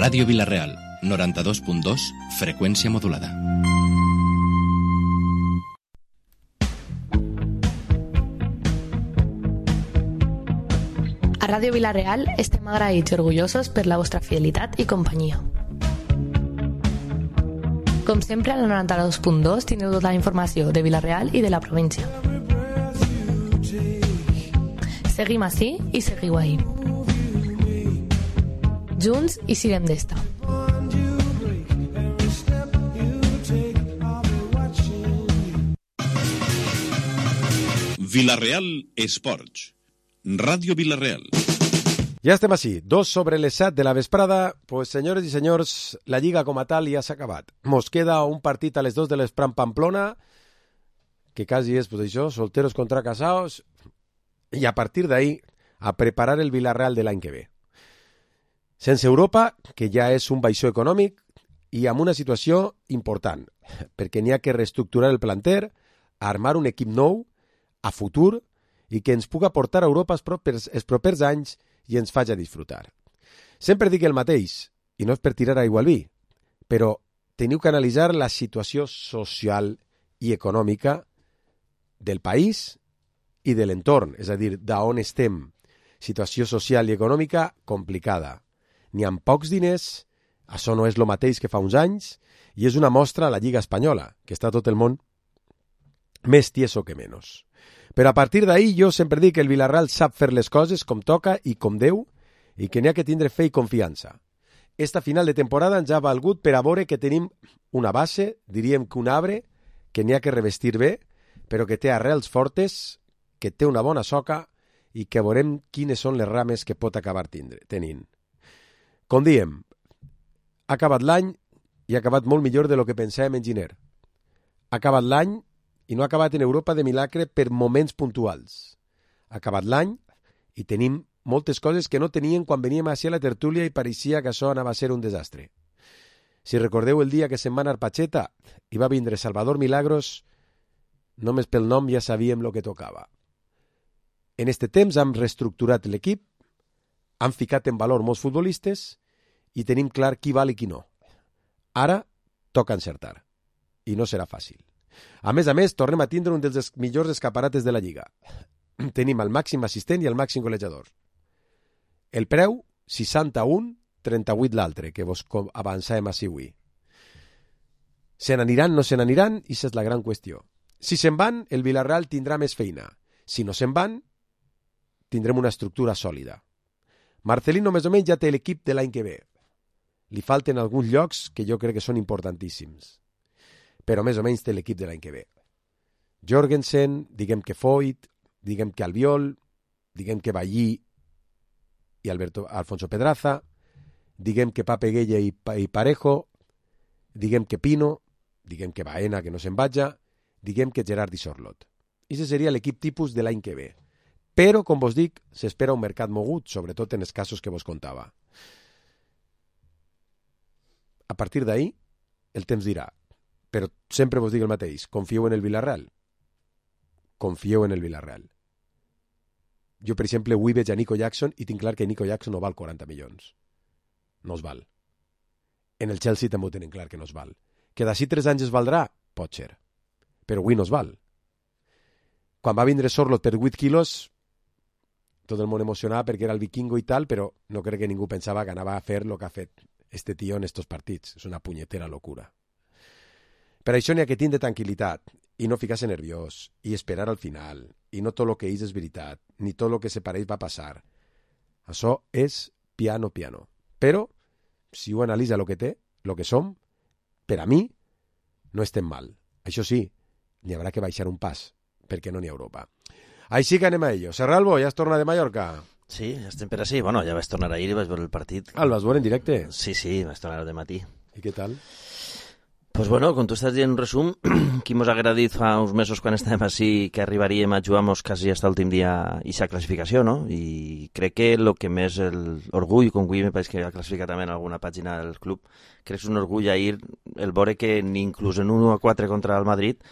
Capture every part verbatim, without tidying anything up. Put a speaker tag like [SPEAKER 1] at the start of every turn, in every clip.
[SPEAKER 1] Ràdio Vila-real, noranta-dos punt dos, freqüència modulada.
[SPEAKER 2] A Ràdio Vila-real estem agraïts i orgullosos per la vostra fidelitat i companyia. Com sempre, a la noranta-dos punt dos tindreu tota la informació de Vila-real i de la província. Seguim ací i seguiu ahí. Junts i siguem d'esta.
[SPEAKER 3] Vila-real Esports. Ràdio Vila-real.
[SPEAKER 4] Ja estem així, dos sobre les set de la vesprada. Pues, senyores i senyors, la Lliga com a tal ja s'ha acabat. Mos queda un partit a les dos de l'Espran Pamplona, que quasi és, pues això, solteros contra casados, i a partir d'ahí a preparar el Vila-real de l'any que ve. Sense Europa, que ja és un baixó econòmic, i amb una situació important, perquè n'hi ha que reestructurar el planter, armar un equip nou, a futur, i que ens puga portar a Europa els propers, els propers anys i ens faci disfrutar. Sempre dic el mateix, i no és per tirar aigua al vi, però teniu que analitzar la situació social i econòmica del país i de l'entorn, és a dir, d'on estem. Situació social i econòmica complicada. N'hi ha pocs diners, això no és el mateix que fa uns anys, i és una mostra a la Lliga Espanyola, que està tot el món més tieso que menys. Però a partir d'ahí jo sempre dic que el Vila-real sap fer les coses com toca i com deu i que n'hi ha que tindre fe i confiança. Esta final de temporada ens ha valgut per a veure que tenim una base, diríem que un arbre, que n'hi ha que revestir bé, però que té arrels fortes, que té una bona soca i que veurem quines són les rames que pot acabar tindre, tenint. Com diem, ha acabat l'any i ha acabat molt millor de lo que pensàvem en Giner. Ha acabat l'any i no ha acabat en Europa de milagre per moments puntuals. Ha acabat l'any i tenim moltes coses que no teníem quan veníem a la tertúlia i pareixia que això anava a ser un desastre. Si recordeu el dia que se'n va anar Pacheta i va vindre Salvador Milagros, només pel nom ja sabíem el que tocava. En este temps hem reestructurat l'equip, han ficat en valor molts futbolistes i tenim clar qui val i qui no. Ara toca encertar i no serà fàcil. A més a més, tornem a tindre un dels millors escaparates de la Lliga. Tenim el màxim assistent i el màxim golejador. El preu, seixanta-un, trenta-vuit l'altre, que vos avançàvem així avui. Se n'aniran, no se n'aniran, i això és la gran qüestió. Si se'n van, el Vila-real tindrà més feina. Si no se'n van, tindrem una estructura sòlida. Marcelino més o menys ja té l'equip de l'any que ve. Li falten alguns llocs que jo crec que són importantíssims. Però més o menys té l'equip de l'any que ve. Jorgensen, diguem que Foyt, diguem que Albiol, diguem que Ballí i Alberto, Alfonso Pedraza, diguem que Pape Gueye i, i Parejo, diguem que Pino, diguem que Baena, que no se'n vaja, diguem que Gerard i Sorlot. I aquest seria l'equip tipus de l'any que ve. Però, com vos dic, s'espera un mercat mogut, sobretot en els casos que vos contava. A partir d'ahí, el temps dirà. Però sempre vos dic el mateix, confieu en el Vila-real. Confieu en el Vila-real. Jo, per exemple, avui veig a Nico Jackson i tinc clar que Nico Jackson no val quaranta milions. No es val. En el Chelsea també ho tenen clar que no es val. Que d'ací tres anys es valdrà? Pot ser. Però avui no es val. Quan va vindre Sorlot per vuit quilos, tot el món emocionava perquè era el vikingo i tal, però no crec que ningú pensava que anava a fer el que ha fet este tio en estos partits. És una punyetera locura. Per això n'hi ha que tindre tranquil·litat i no ficar-se nerviós i esperar al final i no tot el que és és veritat ni tot el que se pareix va passar. Això és piano piano. Però, si ho analitza el que té, el que som, per a mi, no estem mal. Això sí, n'hi haurà que baixar un pas, perquè no n'hi ha Europa. Així que anem a ello. Serralbo, ja es torna de Mallorca?
[SPEAKER 5] Sí, ja estem per així. Bueno, ja vaig tornar ahir i vaig veure el partit.
[SPEAKER 4] Ah, el vas veure en directe?
[SPEAKER 5] Sí, sí, vaig tornar de matí.
[SPEAKER 4] I què tal?
[SPEAKER 5] Pues bueno, com tu estàs dient un resum, qui mos haguera dit fa uns mesos quan estàvem així que arribaríem a jugar-nos quasi fins l'últim dia i sa classificació, no? I crec que el que més l'orgull, com avui me pareix que ha classificat també en alguna pàgina del club, crec que és un orgull ahir el veure que ni inclús en un u a quatre contra el Madrid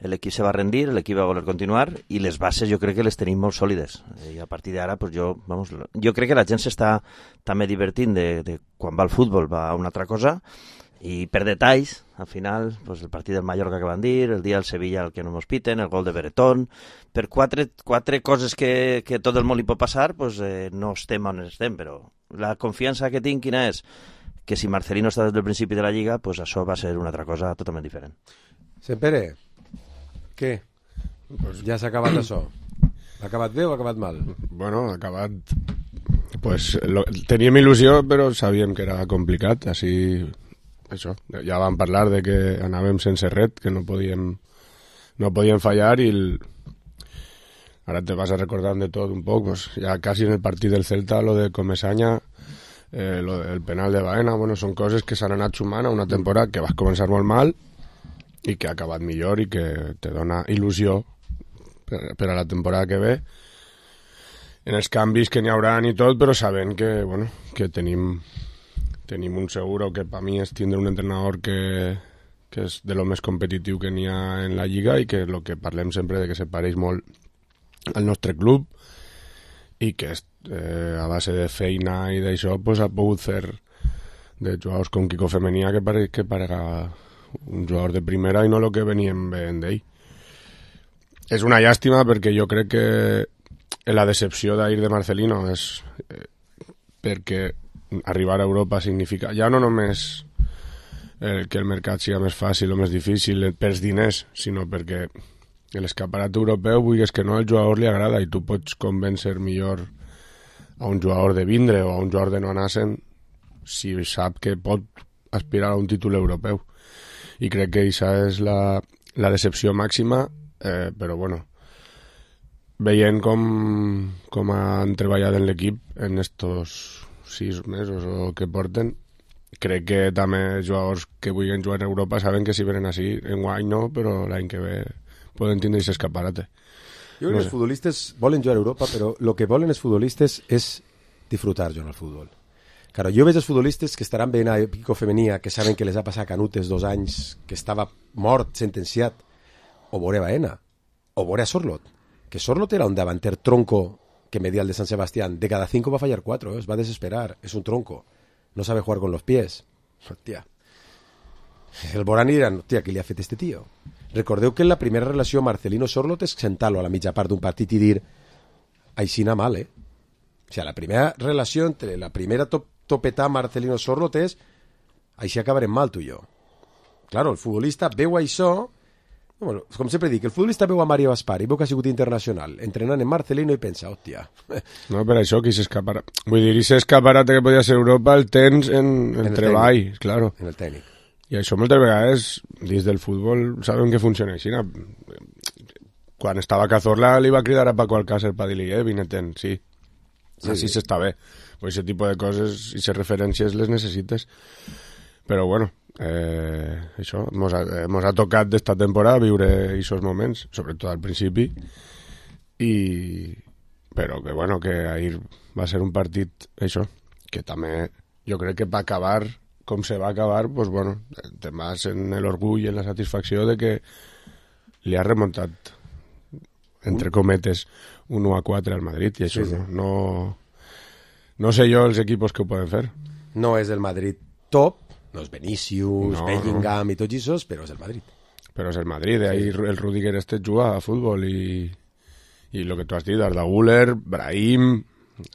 [SPEAKER 5] l'equip se va rendir, l'equip va voler continuar i les bases jo crec que les tenim molt sòlides. I a partir d'ara, pues jo, vamos, jo crec que la gent s'està també divertint de, de quan va al futbol, va a una altra cosa, i per detalls, al final, pues el partit del Mallorca que van dir, el dia del Sevilla el que no mos piten, el gol de Beretón, per quatre, quatre coses que, que tot el món li pot passar, pues eh, no estem on estem, però la confiança que tinc quina és? Que si Marcelino està des del principi de la Lliga, pues això va ser una altra cosa totalment diferent.
[SPEAKER 4] Sempere, què? Pues ja s'ha acabat això. Ha acabat bé o ha acabat mal?
[SPEAKER 6] Bueno, ha acabat... Pues lo... teníem il·lusió, però sabíem que era complicat, així... Això, ja vam parlar de que anàvem sense ret, que no podíem, no podíem fallar i el... ara te vas a recordar de tot un poc, pues ja quasi en el partit del Celta, lo de Comesaña, eh, lo del penal de Baena, bueno, són coses que s'han anat sumant a una temporada que vas començar molt mal i que ha acabat millor i que te dona il·lusió per, per a la temporada que ve en els canvis que n'hi haurà i tot, però sabent que, bueno, que tenim tenim un seguro que per mi és tindre un entrenador que, que és de lo més competitiu que n'hi ha en la Lliga i que el que parlem sempre de que se pareix molt al nostre club i que eh, a base de feina i d'això pues, ha pogut fer de jugadors com Quico Femenia que pareix que parega un jugador de primera i no el que veníem veient d'ell. És una llàstima perquè jo crec que la decepció d'ahir de Marcelino és eh, perquè arribar a Europa significa ja no només eh, que el mercat sigui més fàcil o més difícil pels diners, sinó perquè l'escaparat europeu, vulguis que no, el jugador li agrada i tu pots convèncer millor a un jugador de vindre o a un jugador de no anar-se'n si sap que pot aspirar a un títol europeu. I crec que això és la, la decepció màxima, eh, però bueno, veient com, com han treballat en l'equip en estos sis mesos o que porten, crec que també jugadors que vulguin jugar a Europa saben que si venen així, en guany no, però l'any que ve poden tindre aquest escaparate.
[SPEAKER 4] Jo crec no que els futbolistes volen jugar a Europa, però el que volen els futbolistes és disfrutar jugant al futbol. Claro, jo veig els futbolistes que estaran veient a Quico Femenia, que saben que les ha passat Canutes dos anys, que estava mort, sentenciat, o veure Baena, o veure a Sorlot, que Sorlot era un davanter tronco que media el de San Sebastián, de cada cinco va a fallar cuatro, ¿eh? Es va a desesperar, es un tronco, no sabe jugar con los pies. Hòstia. El Borani diran, hòstia, què li ha fet este tío? Recordeu que la primera relació Marcelino-Sorlot és sentar-lo a la mitja part d'un partit i dir aixina mal, eh? O sigui, la primera relació entre la primera top topetar Marcelino-Sorlot és així acabarem mal tu i jo. Claro, el futbolista veu això, bueno, com sempre dic, el futbolista veu a Mario Gaspar i veu que ha sigut internacional, entrenant en Marcelino i pensa, hòstia.
[SPEAKER 6] No, per això que s'escaparà. Vull dir, aquest escaparat que podia ser Europa el tens en, en, en el treball, tècnic. Claro.
[SPEAKER 4] En el tècnic.
[SPEAKER 6] I això moltes vegades, dins del futbol, sabem que funciona així. Quan estava Cazorla li va cridar a Paco Alcácer per dir-li, eh, vinetent, sí. Sí, així sí. S'està bé. Pues aquest tipus de coses i aquestes referències les necessites. Però bueno, eh, això, mos ha, mos ha tocat d'esta temporada viure aquests moments, sobretot al principi, i però que bueno, que ahir va ser un partit, això, que també jo crec que va acabar com se va acabar, pues bueno, te vas en l'orgull i en la satisfacció de que li ha remuntat, entre cometes, un u a quatre al Madrid, i això sí, sí. no... no No sé jo els equipos que ho poden fer.
[SPEAKER 4] No és el Madrid top, no és Vinícius, no, Bellingham no. I tots aquests, però és el Madrid.
[SPEAKER 6] Però és el Madrid, ahí sí. El Rudiger este juga a futbol i, i lo que tu has dit, Arda Güler, Brahim,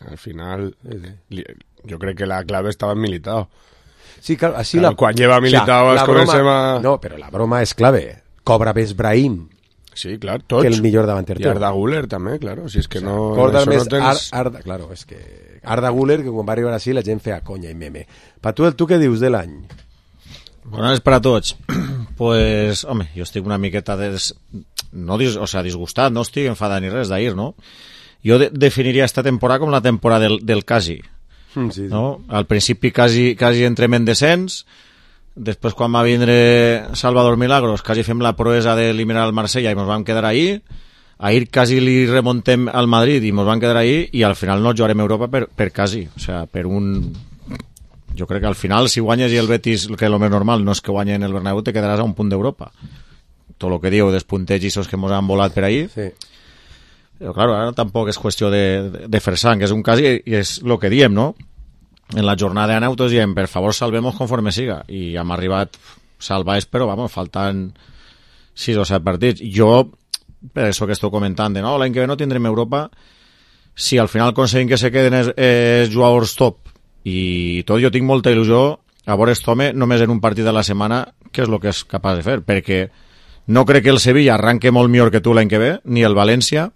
[SPEAKER 6] al final, sí, sí. Li, jo crec que la clave estava en Militao.
[SPEAKER 4] Sí, claro, así
[SPEAKER 6] claro,
[SPEAKER 4] la...
[SPEAKER 6] Quan lleva Militao es comencem a...
[SPEAKER 4] No, però la broma és clave. Cobra més Brahim.
[SPEAKER 6] Sí, clar, tots.
[SPEAKER 4] Que el millor davanter.
[SPEAKER 6] I Arda Güler també, claro, si és que o sea, no...
[SPEAKER 4] Corda més
[SPEAKER 6] no tens...
[SPEAKER 4] Ar, Arda, claro, és que... Arda Güler, que quan va arribar així la gent feia conya i meme. Pa tu, tu què dius de l'any?
[SPEAKER 7] Bones per a tots. Pues, home, jo estic una miqueta des... no dis... o sea, disgustat, no estic enfadat ni res d'ahir, no? Jo de definiria esta temporada com la temporada del, del quasi.
[SPEAKER 4] Mm, sí, sí.
[SPEAKER 7] No? Al principi quasi, quasi entrem en descens, després quan va vindre Salvador Milagros quasi fem la proesa d'eliminar el Marsella i ens vam quedar ahí. Ahir quasi li remontem al Madrid i ens van quedar ahí i al final no jugarem a Europa per, per quasi, o sea, per un... Jo crec que al final si guanyes i el Betis, que és el més normal, no és que guanyen el Bernabéu, te quedaràs a un punt d'Europa. tot el que diu dels puntegis que ens han volat per ahir.
[SPEAKER 4] Sí.
[SPEAKER 7] Però, clar, ara tampoc és qüestió de, de, de fer sang, és un cas i, i és el que diem, no? En la jornada de Nautos diem, per favor, salvemos conforme siga. I hem arribat salvats, però, vamos, faltan sis o set partits. Jo, per això que estic comentant, de no, l'any que ve no tindrem Europa, si al final aconseguim que se queden els, els jugadors top i tot, jo tinc molta il·lusió a veure aquest home només en un partit de la setmana, que és el que és capaç de fer, perquè no crec que el Sevilla arranque molt millor que tu l'any que ve, ni el València,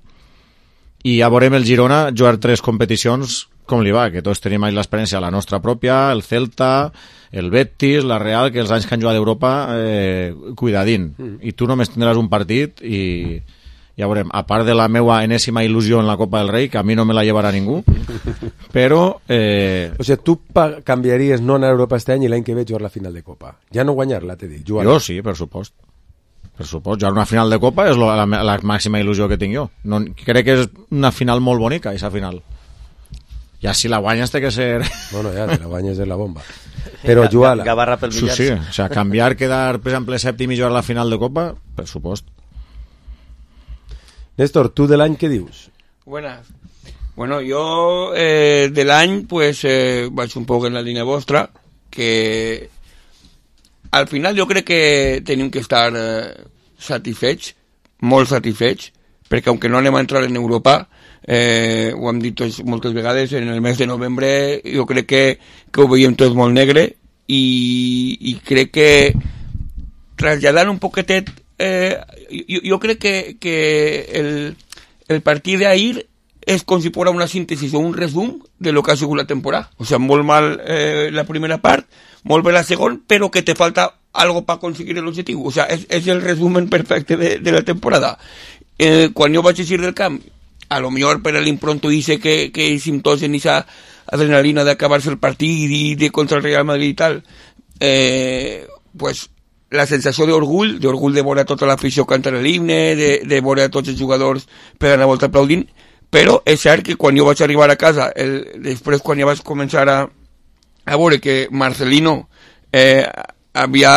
[SPEAKER 7] i ja veurem el Girona jugar tres competicions com li va, que tots tenim ahí l'experiència, la nostra pròpia, el Celta, el Betis, la Real, que els anys que han jugat d'Europa, eh, cuidadín. Mm. I tu només tindràs un partit i ja veurem. A part de la meva enèsima il·lusió en la Copa del Rei, que a mi no me la llevarà ningú, però... Eh...
[SPEAKER 4] O sigui, tu canviaries no anar a Europa este any i l'any que ve jugar la final de Copa. Ja no guanyar-la, t'he dit.
[SPEAKER 7] Jo sí, per supost. Per supost, jugar una final de Copa és la, la, la màxima il·lusió que tinc jo. No, crec que és una final molt bonica, aquesta final. Ja si la guanyes té que ser...
[SPEAKER 4] Bueno, ja, si la guanyes és la bomba. Però jugar-la...
[SPEAKER 5] Gavarra pel
[SPEAKER 7] millars. Sí, sí, o sea, canviar, quedar, per exemple, sèptim i jugar la final de Copa, per supost.
[SPEAKER 4] Néstor, tu de l'any què dius?
[SPEAKER 8] Buenas. Bueno, yo eh, del año pues eh, vaig un poco en la línea vostra, que al final jo crec que tenim que estar eh, satisfets, molt satisfets, perquè aunque no anem a entrar en Europa, eh, ho hem dit tots moltes vegades, en el mes de novembre jo crec que, que ho veiem tot molt negre i, i crec que traslladant un poquetet, eh, jo, jo crec que, que el, el partit d'ahir és com si fos una síntesi o un resum de lo que ha sigut la temporada. O sea, molt mal eh, la primera part, molt bé la segona, però que te falta algo para conseguir el objetivo. O sea, és, és el resumen perfecte de, de la temporada. Eh, quan jo vaig eixir del camp, a lo millor per l'impronto hice que, que hicim tots en esa adrenalina de acabar-se el partit i de contra el Real Madrid i tal, eh, pues la sensació d'orgull, d'orgull de veure tota l'afició cantar l'himne, de, de veure tots els jugadors pegant la volta aplaudint, però és cert que quan jo vaig arribar a casa, el, després quan ja vaig començar a, a veure que Marcelino eh, havia,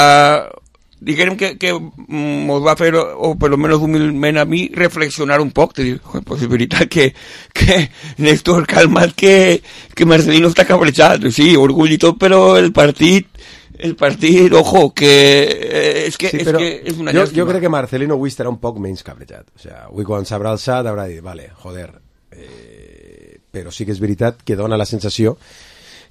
[SPEAKER 8] diguem que, que mos va fer, o per lo menos humilment a mi, reflexionar un poc, te dic, pues és veritat que, que Néstor, calmat, que, que Marcelino està cabrejat, sí, orgull i tot, però el partit el partit, ojo, que eh, és que,
[SPEAKER 4] sí,
[SPEAKER 8] és, que és una
[SPEAKER 4] jo,
[SPEAKER 8] llàstima.
[SPEAKER 4] jo crec que Marcelino avui estarà un poc menys cabrejat. O sigui, avui quan s'haurà alçat haurà dit, vale, joder, eh, però sí que és veritat que dona la sensació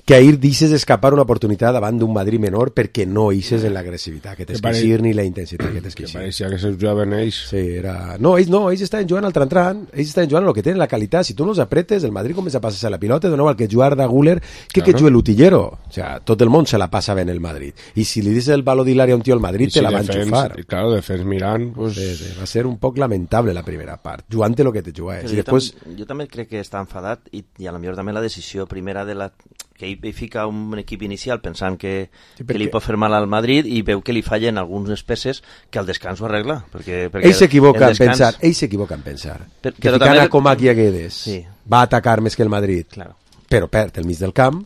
[SPEAKER 4] que ahir deixes escapar una oportunitat davant d'un Madrid menor perquè no eixes en l'agressivitat que tens que eixir ni la intensitat que tens que eixir.
[SPEAKER 6] Que pareixia que se jugaven ells.
[SPEAKER 4] Sí, era... No, ells no, ells estaven jugant al tran-tran, ells estaven jugant el que tenen, la qualitat. Si tu no els apretes, el Madrid comença a passar-se la pilota, de nou al que jugar de Guller, que claro. Que jugue l'utillero. O sea, tot el món se la passa ben el Madrid. I si li dius el baló d'Hilari a un tio al Madrid, si te la van xufar.
[SPEAKER 6] Claro, defens mirant... Pues...
[SPEAKER 4] Sí, sí, va ser un poc lamentable la primera part, jugant el que te jugaves. I
[SPEAKER 5] jo,
[SPEAKER 4] després...
[SPEAKER 5] tam jo també crec que està enfadat i, i a la millor també la decisió primera de la... que ell fica un equip inicial pensant que, sí, que li pot fer mal al Madrid i veu que li fallen algunes peces que al descans ho arregla. Perquè, perquè
[SPEAKER 4] ell s'equivoca descans... en pensar, ell s'equivoca en pensar per, que ficant també... a Comac i a Guedes sí. Va atacar més que el Madrid, claro. Però perd el mig del camp,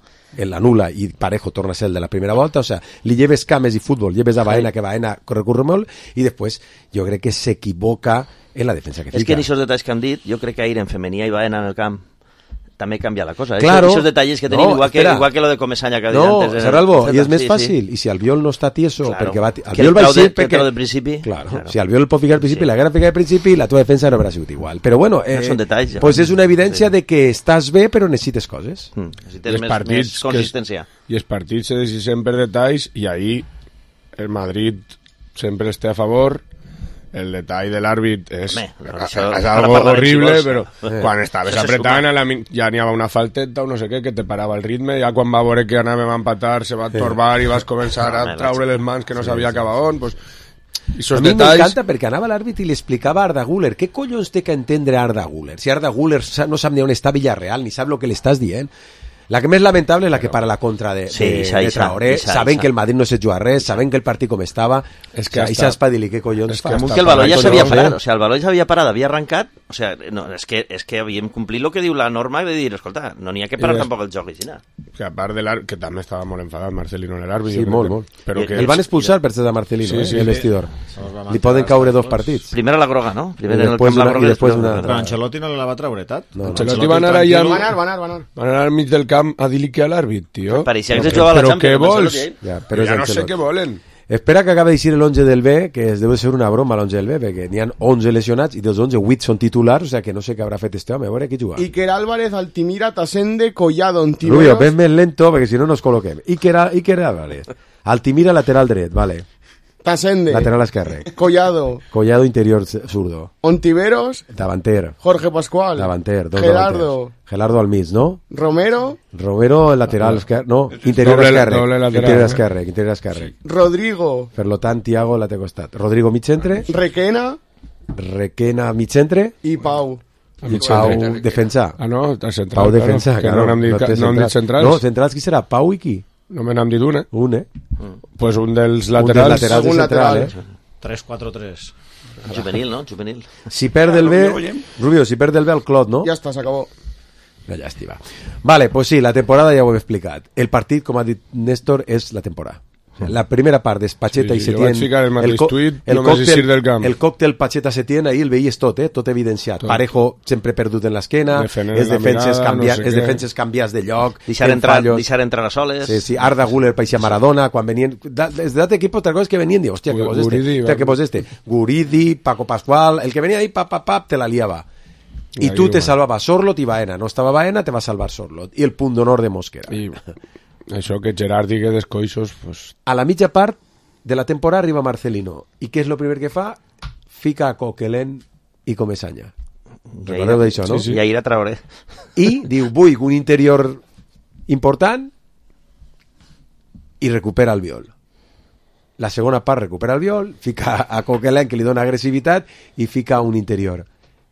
[SPEAKER 4] l'anula i Parejo torna a ser el de la primera volta, o sea, li lleves cames i futbol, lleves a Baena, sí. Que Baena recurre molt, i després jo crec que s'equivoca en la defensa que fica.
[SPEAKER 5] És que en aquests detalls que han dit, jo crec que ahir en femení i Baena en el camp també canvia la cosa.
[SPEAKER 4] Claro.
[SPEAKER 5] Esos detalles que tenim, no, igual, que, igual que lo de Comesaña que ha dit
[SPEAKER 4] no,
[SPEAKER 5] antes.
[SPEAKER 4] No, Serralbo, i és més
[SPEAKER 5] sí,
[SPEAKER 4] fàcil.
[SPEAKER 5] Sí.
[SPEAKER 4] I si Albiol no està tieso,
[SPEAKER 5] claro.
[SPEAKER 4] Perquè va...
[SPEAKER 5] Albiol va ser perquè...
[SPEAKER 6] de
[SPEAKER 5] principi.
[SPEAKER 4] Claro. Claro. Si Albiol el pot ficar al principi, sí. La guerra ficar al principi, la tua defensa no haurà sigut igual. Però bueno, eh,
[SPEAKER 5] no són detalls, ja.
[SPEAKER 4] Pues és una evidència sí. De que estàs bé, però necessites coses.
[SPEAKER 5] Mm. Necessites més, més consistència.
[SPEAKER 6] Es, I els partits se decisen per detalls, i ahir el Madrid sempre està a favor. El detall de l'àrbit és, Home, això, és algo horrible, però eh. Quan estaves apretant la, ja n'hi havia una falteta o no sé què que te parava el ritme, ja quan va veure que anàvem a empatar se va torbar i vas començar a traure les mans que no sabia acabar on, pues, i
[SPEAKER 4] a mi detalls... m'encanta perquè anava l'àrbit i li explicava a Arda Güler què collons té que entendre Arda Güler, si Arda Güler no sap ni on està Villarreal ni sap el que li estàs dient. La que més lamentable és la que para la contra de, sí, de, Isa, de Traoré, Isa, saben Isa. Que el Madrid no se juga res, saben que el partit com estava, és que Isa es pa dir-li què collons fa.
[SPEAKER 5] Que el valor ja s'havia parat, o sigui, el valor ja s'havia parat, havia arrencat O sigui, no, és, que, és que havíem complit el que diu la norma i de dir, escolta, no n'hi ha que parar
[SPEAKER 6] des...
[SPEAKER 5] tampoc el joc així.
[SPEAKER 6] Que a part de l'àrbit, que també estava molt enfadat Marcelino en l'àrbit.
[SPEAKER 4] Sí, molt, molt.
[SPEAKER 6] Però que
[SPEAKER 4] el van expulsar per ser de Marcelino,
[SPEAKER 6] sí,
[SPEAKER 4] eh,
[SPEAKER 6] sí,
[SPEAKER 4] el vestidor. Sí. Li poden caure dos partits.
[SPEAKER 5] Primer a la groga, no? Primer en el
[SPEAKER 4] camp
[SPEAKER 5] la groga
[SPEAKER 4] i després una
[SPEAKER 7] Però Ancelotti no la va treure, Tat?
[SPEAKER 6] No, Ancelotti va anar allà...
[SPEAKER 9] Va anar, va anar, va anar.
[SPEAKER 6] Van anar al mig del camp a dir-li que a l'àrbit, tio.
[SPEAKER 5] Pareixia que jugava a la
[SPEAKER 6] Però
[SPEAKER 5] Champions.
[SPEAKER 6] què vols?
[SPEAKER 4] Ja, però
[SPEAKER 6] ja no sé què volen.
[SPEAKER 4] Espera que acabe de dir l'onze del B, que es deu ser una broma l'onze del B, perquè n'hi ha onze lesionats i dels onze, vuit són titulars, o sigui que no sé què haurà fet este home, a veure qui juga.
[SPEAKER 9] Iker Álvarez, Altimira, Tasende, Collado, Ontiveros...
[SPEAKER 4] Rubio, ves més lento, perquè si no nos col·loquem. Iker, Iker Álvarez, Altimira lateral dret, vale.
[SPEAKER 9] Tasende.
[SPEAKER 4] Lateral esquerre.
[SPEAKER 9] Collado.
[SPEAKER 4] Collado interior zurdo.
[SPEAKER 9] Ontiveros.
[SPEAKER 4] Davanter.
[SPEAKER 9] Jorge Pascual.
[SPEAKER 4] Davanter. Dos
[SPEAKER 9] Gerardo.
[SPEAKER 4] davanters. Gerardo al mig, ¿no?
[SPEAKER 9] Romero.
[SPEAKER 4] Romero lateral esquerre. No, interior
[SPEAKER 6] doble,
[SPEAKER 4] esquerre.
[SPEAKER 6] doble lateral,
[SPEAKER 4] interior
[SPEAKER 6] eh?
[SPEAKER 4] esquerre. Interior esquerre.
[SPEAKER 9] Rodrigo.
[SPEAKER 4] Per lo tant, Tiago la té costat. Rodrigo mig centre.
[SPEAKER 9] Requena.
[SPEAKER 4] Requena mig centre.
[SPEAKER 9] I Pau.
[SPEAKER 4] I Pau defensa.
[SPEAKER 6] Ah, no, està central.
[SPEAKER 4] Pau defensa,
[SPEAKER 6] claro. Que
[SPEAKER 4] claro.
[SPEAKER 6] no n'hem dit,
[SPEAKER 4] No,
[SPEAKER 6] no hem dit centrals.
[SPEAKER 4] No, centrals qui serà? Pau i qui?
[SPEAKER 6] No me n'hem dit un, eh?
[SPEAKER 4] Un, eh?
[SPEAKER 6] Pues un dels
[SPEAKER 4] Un dels
[SPEAKER 6] laterals.
[SPEAKER 4] laterals de
[SPEAKER 9] Un
[SPEAKER 4] central,
[SPEAKER 9] lateral.
[SPEAKER 4] eh?
[SPEAKER 7] tres quatre tres.
[SPEAKER 5] Juvenil, no? Juvenil.
[SPEAKER 4] Si perd el B... Rubio, si perd el B al Clot, no?
[SPEAKER 9] Ja està, s'acabó.
[SPEAKER 4] Una llàstima. Vale, pues sí, la temporada ja ho hem explicat. El partit, com ha dit Néstor, és la temporada. La primera part és Pacheta
[SPEAKER 6] Sí,
[SPEAKER 4] i
[SPEAKER 6] sí, jo
[SPEAKER 4] Setién.
[SPEAKER 6] vaig ficar el mateix
[SPEAKER 4] co-
[SPEAKER 6] tuit,
[SPEAKER 4] el
[SPEAKER 6] només
[SPEAKER 4] còctel,
[SPEAKER 6] eixir del camp.
[SPEAKER 4] el còctel Pacheta-Setién, ahir el veies tot, eh? Tot evidenciat.
[SPEAKER 6] Tot.
[SPEAKER 4] Parejo sempre perdut en l'esquena,
[SPEAKER 6] Defendent
[SPEAKER 4] els
[SPEAKER 6] la
[SPEAKER 4] defenses,
[SPEAKER 6] mirada,
[SPEAKER 4] canvia,
[SPEAKER 6] no sé
[SPEAKER 4] els
[SPEAKER 6] què.
[SPEAKER 4] defenses canviats de lloc,
[SPEAKER 5] Deixar
[SPEAKER 4] fent
[SPEAKER 5] entrar,
[SPEAKER 4] fallos.
[SPEAKER 5] deixar entrar a soles.
[SPEAKER 4] Sí, sí, Arda Güler parecía Maradona, quan venien... Da, des d'altre equip, otra cosa es que venien, diu, hòstia, que vos este,
[SPEAKER 6] Guridi,
[SPEAKER 4] hòstia,
[SPEAKER 6] va.
[SPEAKER 4] que vos este. Guridi, Paco Pascual, el que venía ahí, pap, pap, pap, te la liaba. Y
[SPEAKER 6] Ahí,
[SPEAKER 4] tú te
[SPEAKER 6] bueno.
[SPEAKER 4] salvaba Sorlot y Baena. No estaba Baena, te va a salvar Sorlot. Y el punt d'honor de Mosquera.
[SPEAKER 6] I això que Gerard digui descoixos, pues...
[SPEAKER 4] A la mitja part de la temporada arriba Marcelino. I què és el primer que fa? Fica a Coquelin i Comesaña. Recordeu d'això, no?
[SPEAKER 5] Sí, sí. I ahir a Traoré.
[SPEAKER 4] I diu, vull un interior important i recupera el viol. La segona part recupera el viol, fica a Coquelin, que li dona agressivitat, i fica un interior.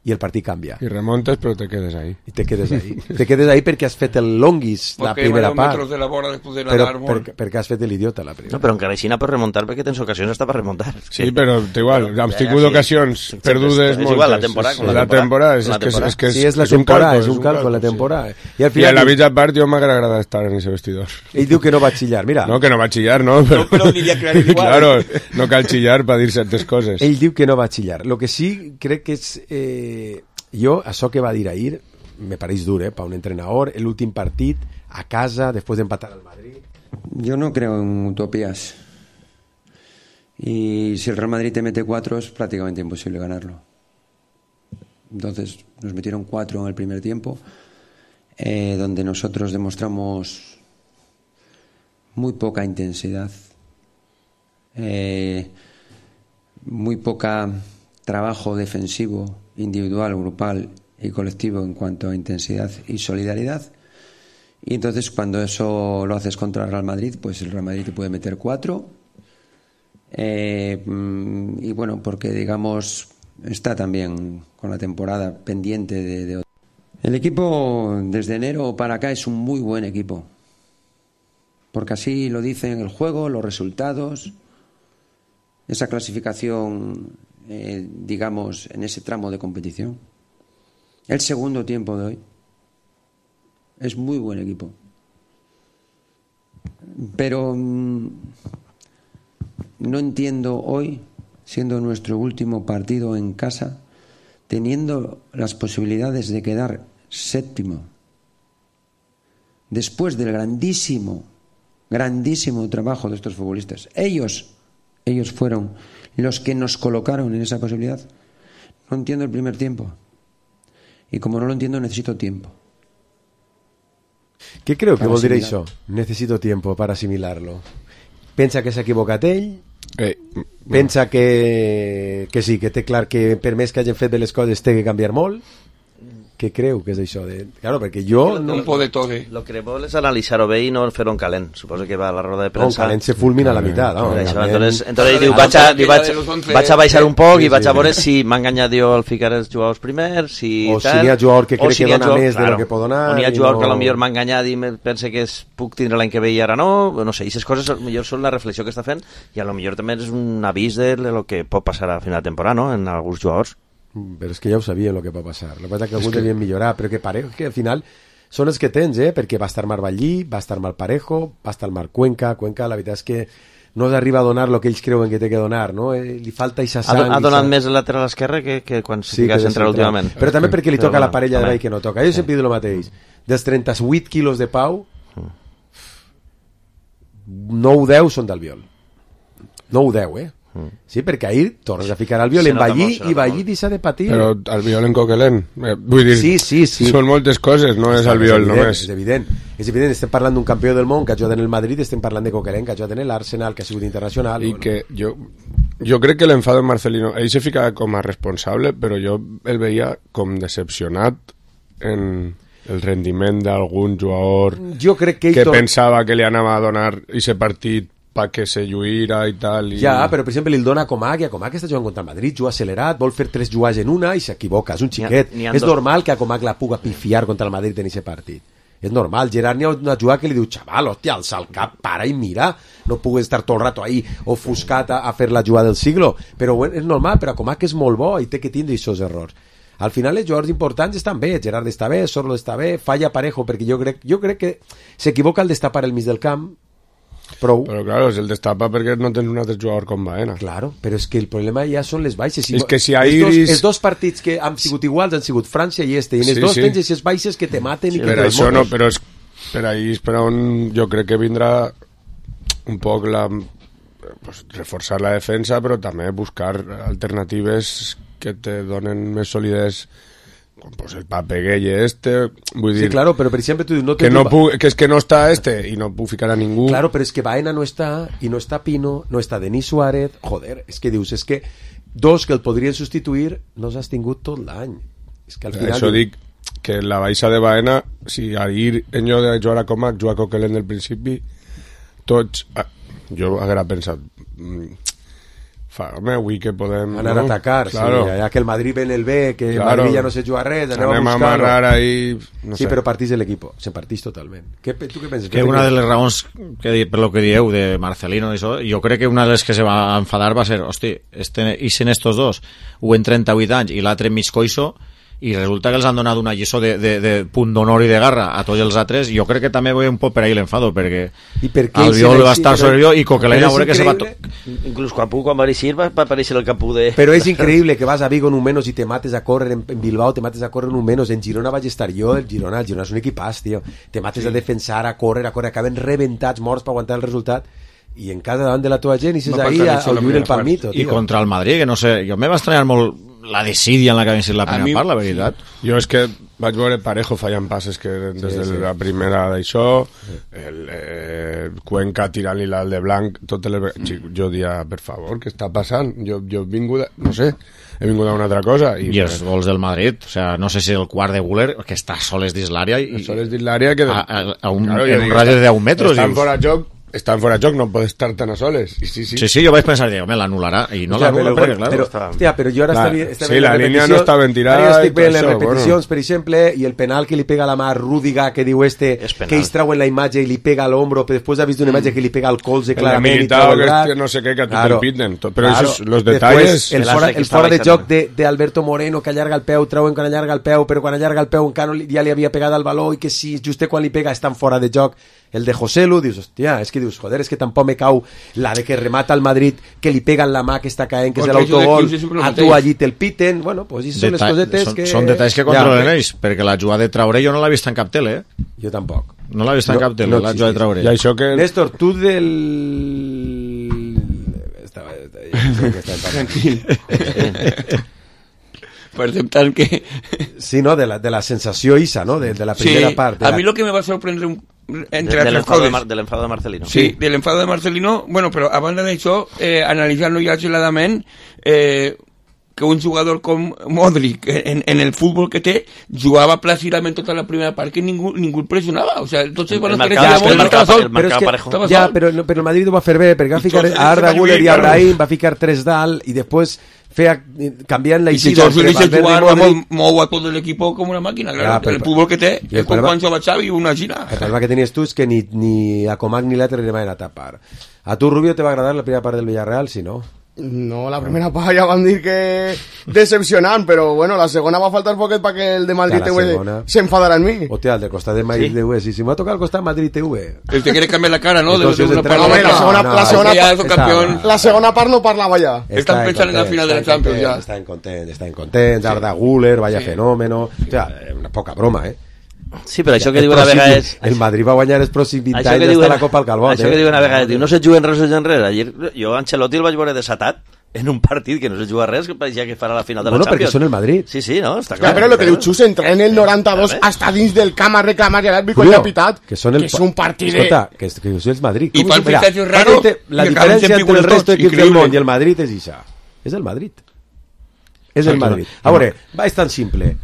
[SPEAKER 4] I el partit canvia.
[SPEAKER 6] I remontes, però te quedes ahí.
[SPEAKER 4] I te quedes ahí. Te quedes ahí perquè has fet el longuis la
[SPEAKER 8] Porque
[SPEAKER 4] primera
[SPEAKER 8] varios
[SPEAKER 4] part.
[SPEAKER 8] metros de la bola después de
[SPEAKER 4] Però
[SPEAKER 8] nadar,
[SPEAKER 4] per, perquè has fet l'idiota la primera.
[SPEAKER 5] No, però encara així n'ha per remuntar perquè tens ocasions hasta per remuntar.
[SPEAKER 6] Sí, però igual, hem
[SPEAKER 5] ja,
[SPEAKER 6] tingut
[SPEAKER 5] sí.
[SPEAKER 6] ocasions
[SPEAKER 5] Sí,
[SPEAKER 6] perdudes
[SPEAKER 5] és
[SPEAKER 6] moltes.
[SPEAKER 5] igual, la temporada,
[SPEAKER 6] És-
[SPEAKER 5] com la
[SPEAKER 6] la
[SPEAKER 5] temporada.
[SPEAKER 6] temporada, és,
[SPEAKER 5] La
[SPEAKER 6] és, que és,
[SPEAKER 5] temporada.
[SPEAKER 6] és que és,
[SPEAKER 4] Sí, és la
[SPEAKER 6] és un
[SPEAKER 4] temporada,
[SPEAKER 6] calco,
[SPEAKER 4] és un calco, la
[SPEAKER 6] sí.
[SPEAKER 4] temporada. I al
[SPEAKER 6] I a
[SPEAKER 4] final
[SPEAKER 6] la
[SPEAKER 4] diu-
[SPEAKER 6] mitja part jo m'agrada agradar estar en ese vestidor.
[SPEAKER 4] ell diu que no va xillar. Mira,
[SPEAKER 6] No, que no va chillar, no. Pero,
[SPEAKER 8] pero diría que era igual.
[SPEAKER 6] claro, no cal chillar para dir certes coses.
[SPEAKER 4] ell diu que no va xillar. Lo que sí crec que és... Eh, jo, això que va dir ahir, me pareix dur, eh, per un entrenador, l'últim partit, a casa, després d'empatar al Madrid.
[SPEAKER 10] Yo no creo en utopías. Y si el Real Madrid te mete cuatro es prácticamente imposible ganarlo. Entonces nos metieron cuatro en el primer tiempo, eh, donde nosotros demostramos muy poca intensidad, eh, muy poca trabajo defensivo, individual, grupal y colectivo en cuanto a intensidad y solidaridad. Y entonces cuando eso lo haces contra el Real Madrid, pues el Real Madrid te puede meter cuatro. Eh, mm, y bueno, porque digamos está también con la temporada pendiente de, de... El equipo desde enero para acá es un muy buen equipo, porque así lo dicen el juego, los resultados, esa clasificación, eh, digamos, en ese tramo de competición. El segundo tiempo de hoy es muy buen equipo, pero mmm, no entiendo hoy, siendo nuestro último partido en casa, teniendo las posibilidades de quedar séptimo, después del grandísimo, grandísimo trabajo de estos futbolistas. Ellos, ellos fueron los que nos colocaron en esa posibilidad. No entiendo el primer tiempo. Y como no lo entiendo, necesito tiempo.
[SPEAKER 4] Què creu que
[SPEAKER 10] Per
[SPEAKER 4] vol dir
[SPEAKER 10] assimilar.
[SPEAKER 4] això? Necessito tiempo para asimilarlo. Pensa que s'ha equivocat ell?
[SPEAKER 6] Eh,
[SPEAKER 4] Pensa que, que sí, que té clar que per més que hagin fet bé les coses té que canviar molt? Què creu que és això? De... Claro, perquè jo... No...
[SPEAKER 8] Un po' de todo.
[SPEAKER 5] Lo que vol és analitzar-ho bé i no fer un calent. Suposo que va a la roda de
[SPEAKER 4] No,
[SPEAKER 5] premsa.
[SPEAKER 4] calent se fulmina a la meitat. No?
[SPEAKER 5] Per això,
[SPEAKER 4] Calent-
[SPEAKER 5] entonces, entonces diu,
[SPEAKER 8] Ah,
[SPEAKER 5] vaig a,
[SPEAKER 8] aquella
[SPEAKER 5] diu, vaig,
[SPEAKER 8] de los once,
[SPEAKER 5] vaig a baixar un poc
[SPEAKER 4] sí,
[SPEAKER 5] i vaig
[SPEAKER 4] sí,
[SPEAKER 5] a veure
[SPEAKER 4] sí.
[SPEAKER 5] si m'ha enganyat jo al ficar els jugadors primers, si
[SPEAKER 4] O si
[SPEAKER 5] tal,
[SPEAKER 4] n'hi ha jugador que
[SPEAKER 5] o
[SPEAKER 4] crec
[SPEAKER 5] si
[SPEAKER 4] que
[SPEAKER 5] n'hi ha
[SPEAKER 4] dona
[SPEAKER 5] jugador-
[SPEAKER 4] més de lo que pot donar
[SPEAKER 5] o n'hi ha
[SPEAKER 4] i
[SPEAKER 5] jugador
[SPEAKER 4] no-
[SPEAKER 5] que potser m'ha enganyat i me pensa que es, puc tindre l'any que ve i ara no, no sé, aquestes coses millor són la reflexió que està fent i a lo millor també és un avís de lo que pot passar a final de temporada, no?, en alguns jugadors.
[SPEAKER 4] Però és que ja ho sabien el que va passar. El que passa que alguns que... devien millorar, però que pare que al final són els que tens, eh? Perquè va estar Marvallí, va estar Malparejo, va estar Marc Cuenca. Cuenca, la veritat és que no arriba a donar el que ells creuen que té que donar, no? Eh, li falta eixa sang.
[SPEAKER 5] Ha, ha donat més el lateral esquerre que, que quan
[SPEAKER 4] sí,
[SPEAKER 5] fica central últimament.
[SPEAKER 4] Però també perquè li
[SPEAKER 5] però
[SPEAKER 4] toca
[SPEAKER 5] bueno,
[SPEAKER 4] la parella de
[SPEAKER 5] també.
[SPEAKER 4] veí que no toca. Jo sempre dic el mateix. Dels trenta-vuit quilos de Pau, nou o deu són d'Albiol. nou o deu, eh? Sí, perquè ahir tornes a ficar Albiol en Vallí i Vallí deixa de patir.
[SPEAKER 6] Però Albiol en Coquelin, eh, vull dir,
[SPEAKER 4] sí, sí, sí.
[SPEAKER 6] són moltes coses, no és Albiol només.
[SPEAKER 4] És evident, és evident, estem parlant d'un campió del món que ha jugat en el Madrid, estem parlant de Coquelin que ha jugat en l'Arsenal, que ha sigut internacional.
[SPEAKER 6] I que jo, jo crec que l'enfado en Marcelino, ell se fica com a responsable, però jo el veia com decepcionat en el rendiment d'algun jugador
[SPEAKER 4] jo crec que,
[SPEAKER 6] que
[SPEAKER 4] tot...
[SPEAKER 6] pensava que li anava a donar aquest partit pa que se lluïra i tal. I...
[SPEAKER 4] Ja, però per exemple li el dona a Comac i a Comac està jugant contra el Madrid, juga accelerat, vol fer tres jugades en una i s'equivoca, és un xiquet. N'hi ha, n'hi ha és dos... normal que a Comac la puga pifiar contra el Madrid en aquest partit. És normal, Gerard n'hi ha una jugada que li diu xaval, hòstia, alça el cap, para i mira, no pugues estar tot el rato ahí ofuscat a, a fer la jugada del siglo, però bueno, és normal, però a Comac és molt bo i té que tindre aquests errors. Al final els jugadors importants estan bé, Gerard està bé, Sorlo està bé, falla Parejo, perquè jo crec, jo crec que s'equivoca al destapar el mig del camp. Prou.
[SPEAKER 6] Però claro, es el destapa perquè no tens un altre jugador com Baena.
[SPEAKER 4] Claro, però és que el problema ja són les baixes. Si
[SPEAKER 6] és
[SPEAKER 4] no,
[SPEAKER 6] que si a
[SPEAKER 4] els, dos,
[SPEAKER 6] Iris...
[SPEAKER 4] els dos partits que han sigut iguals han sigut França i este, i en els
[SPEAKER 6] sí,
[SPEAKER 4] dos
[SPEAKER 6] sí.
[SPEAKER 4] tens aquestes baixes que te maten
[SPEAKER 6] sí,
[SPEAKER 4] i que
[SPEAKER 6] per
[SPEAKER 4] te
[SPEAKER 6] això
[SPEAKER 4] desmotes.
[SPEAKER 6] no, però és, per ahí és per on jo crec que vindrà un poc la, pues, reforçar la defensa, però també buscar alternatives que te donen més solidesa, com pues el Pape Gueye este, vull dir...
[SPEAKER 4] Sí, claro, però per exemple tu no
[SPEAKER 6] que, no puc, que és que no està este i no puc ficar a ningú.
[SPEAKER 4] Claro, però és que Baena no està, i no està Pino, no està Denis Suárez, joder, és que dius, és que dos que el podrien substituir no s'has tingut tot l'any. És que al final...
[SPEAKER 6] Això dic que la baixa de Baena, si ahir en lloc de jugar a Comac, jugar a Coquelin del principi, tots... Ah, jo haguera pensat... Mm, fa, home, avui que podem...
[SPEAKER 4] Anar
[SPEAKER 6] no?
[SPEAKER 4] a atacar,
[SPEAKER 6] claro.
[SPEAKER 4] Sí, ja que el Madrid ve en el B, que el
[SPEAKER 6] claro.
[SPEAKER 4] Madrid ja no se juga res, anem,
[SPEAKER 6] anem
[SPEAKER 4] a
[SPEAKER 6] buscar-ho. A amarrar ahí... No
[SPEAKER 4] sí,
[SPEAKER 6] sé.
[SPEAKER 4] però partís de l'equip, se partís totalment. Què, tu què penses?
[SPEAKER 7] Que una de les raons, que, per lo que dieu, de Marcelino i això, jo crec que una de les que se va enfadar va ser, hosti, este, ixen estos dos, un en trenta-vuit anys i l'altre mig coixo, i resulta que els han donat una lliçó de, de, de punt d'honor i de garra a tots els altres. Jo crec que també ve un poc per ahí l'enfado, perquè Albiol va estar sobre jo i Coquelin a veure que se va... To...
[SPEAKER 5] Inclús Capú, quan va eixir, va aparèixer el Capú de...
[SPEAKER 4] Però és increïble que vas a Vigo en un menos i te mates a córrer, en Bilbao te mates a córrer en un menos, en Girona vaig estar jo, el Girona, el Girona és un equipàs, tio, te mates sí. a defensar, a córrer, a córrer, acaben rebentats, morts per aguantar el resultat, i en cada davant de la teva gent i s'és ahí a, a lluir el palmito, tio.
[SPEAKER 7] I contra el Madrid, que no sé, jo me va estranyar molt la desídia en la que va ser la primera mi, part, la veritat.
[SPEAKER 6] Jo és que vaig veure Parejo fallant passes que des sí, de sí. la primera d'això, el eh, Cuenca tirant-li l'alt de blanc, tot el... jo dia, per favor, què està passant? Jo, jo he vingut, a, no sé, he vingut a una altra cosa.
[SPEAKER 7] I, I els gols del Madrid, o sea, no sé si el quart de Güler, que està soles dins l'àrea i...
[SPEAKER 6] Soles dins l'àrea que...
[SPEAKER 7] A, a, a un, claro, en un radi de deu metres.
[SPEAKER 6] Estan fora joc, estan fora de joc, no pot estar tan a soles. I sí, sí.
[SPEAKER 7] sí, sí, jo vaig pensar, home, l'anul·larà, i no l'anul·la, perquè, clar,
[SPEAKER 4] però,
[SPEAKER 7] està...
[SPEAKER 4] hòstia, però jo ara
[SPEAKER 6] clar,
[SPEAKER 4] està, està
[SPEAKER 6] sí, la línia no està ben tirada.
[SPEAKER 4] Ara estic veient les
[SPEAKER 6] això,
[SPEAKER 4] repeticions, bueno. Per exemple, i el penal que li pega a la mà a Rúdiga, que diu este, que ells trauen la imatge i li pega a l'ombro, però després ha vist una imatge que li pega al colze, clarament, i trau el braç.
[SPEAKER 6] No sé què, que a tu
[SPEAKER 4] claro,
[SPEAKER 6] te'l piten. Però
[SPEAKER 4] claro.
[SPEAKER 6] Esos, los detalles...
[SPEAKER 4] Después, el fora, el fora de joc d'Alberto Moreno, que allarga el peu, trauen quan allarga el peu, però quan allarga el peu encara ja li havia pegat al baló, i que si just quan li pega estan fora de joc. El de Joselu, dius, hòstia, és que dius, joder, és que tampoc me cau la de que remata al Madrid, que li pega en la mà que està caent, que és l'autogol, a tu allí te'l piten, bueno, pues això són les cosetes
[SPEAKER 7] són,
[SPEAKER 4] que...
[SPEAKER 7] Són detalls que controlen ells, perquè la jugada de Traoré jo no l'he vist en cap tele, eh?
[SPEAKER 4] Jo tampoc.
[SPEAKER 7] No l'he vist en
[SPEAKER 4] no,
[SPEAKER 7] cap tele,
[SPEAKER 4] no
[SPEAKER 7] la jugada de Traoré.
[SPEAKER 6] I això que...
[SPEAKER 4] Néstor, tu del... Estava...
[SPEAKER 8] Tranquil. Per aceptar que...
[SPEAKER 4] Sí, no, de la, de la sensació isa, ¿no? De, de la primera
[SPEAKER 8] sí,
[SPEAKER 4] part.
[SPEAKER 8] A
[SPEAKER 4] la...
[SPEAKER 8] mí lo que me va a sorprender un, entre
[SPEAKER 5] de,
[SPEAKER 8] altres coses...
[SPEAKER 5] De, de l'enfado de Marcelino.
[SPEAKER 8] Sí, de l'enfado de Marcelino. Bueno, però a banda d'això, eh, analitzant-lo ja geladament, eh, que un jugador com Modric, en, en el futbol que té, jugava plàcidament tota la primera part, que ningú, ningú el pressionava. O sea, tots els bons que
[SPEAKER 4] ja,
[SPEAKER 8] Modric estava sol.
[SPEAKER 4] Però és que, ja, però, però el Madrid ho va fer bé, perquè va ficar a Arda Güler i a Brahim, va ficar tres dalt, i després... Feia, canviant la eixida
[SPEAKER 8] entre Valverde i Modric. Mou a tot l'equip com una màquina, claro. Ja, el futbol que té, és com quan jova Xavi, una gira.
[SPEAKER 4] El problema que tenies tu és que ni, ni a Comac ni l'altre li van a tapar. A tu, Rubio, te va agradar la primera part del Villarreal, si no?
[SPEAKER 9] No, la primera part ja vam dir que decepcionant, però bueno, la segona va faltar poquet perquè el de Madrid T V s'enfadarà en mi.
[SPEAKER 4] Hòstia, el de costat de Madrid T V, sí, si m'ha tocat al costat Madrid T V.
[SPEAKER 8] El que quiere cambiar la cara, ¿no? De, de una
[SPEAKER 9] part a la segona,
[SPEAKER 4] no,
[SPEAKER 9] la segona,
[SPEAKER 8] ya es un campeón.
[SPEAKER 9] La segona part no parlava ja.
[SPEAKER 8] Están pensando en la final de la Champions ya.
[SPEAKER 4] Están contentos, están contentos. Arda Güler, vaya fenómeno. O sea, una poca broma, eh?
[SPEAKER 5] Sí, però això que diu una vegada és...
[SPEAKER 4] El Madrid va guanyar els pròxims vint
[SPEAKER 5] Això
[SPEAKER 4] anys
[SPEAKER 5] que
[SPEAKER 4] d'estar
[SPEAKER 5] diuen-
[SPEAKER 4] a la Copa al Calbot.
[SPEAKER 5] Això que diu una vegada, diu, no se juguen res de enrere. Ayer, jo Ancelotti el vaig veure desatat en un partit que no se juga res, que pareixia que farà la final de
[SPEAKER 4] Bueno,
[SPEAKER 5] la
[SPEAKER 4] perquè
[SPEAKER 5] Champions.
[SPEAKER 4] són el Madrid.
[SPEAKER 5] Sí, sí, no, està
[SPEAKER 9] Ja,
[SPEAKER 5] clar.
[SPEAKER 9] però el que diu Xus, entrar en el noranta-dos hasta dins del camp a reclamar i l'àrbitre quan
[SPEAKER 4] Julio,
[SPEAKER 9] ha pitat,
[SPEAKER 4] que són el
[SPEAKER 9] que és un partit de...
[SPEAKER 4] Escolta, que, que això és Madrid.
[SPEAKER 8] I
[SPEAKER 4] Com
[SPEAKER 8] fan
[SPEAKER 4] és? Mira,
[SPEAKER 8] fichajes raros
[SPEAKER 4] fíjate, la
[SPEAKER 8] i acaben
[SPEAKER 4] diferència
[SPEAKER 8] sempre
[SPEAKER 4] entre el
[SPEAKER 8] iguals
[SPEAKER 4] resto
[SPEAKER 8] tots,
[SPEAKER 4] d'equips del
[SPEAKER 8] increïble.
[SPEAKER 4] món i el Madrid és això. És el Madrid. És el Madrid. A veure, va, és tan simple.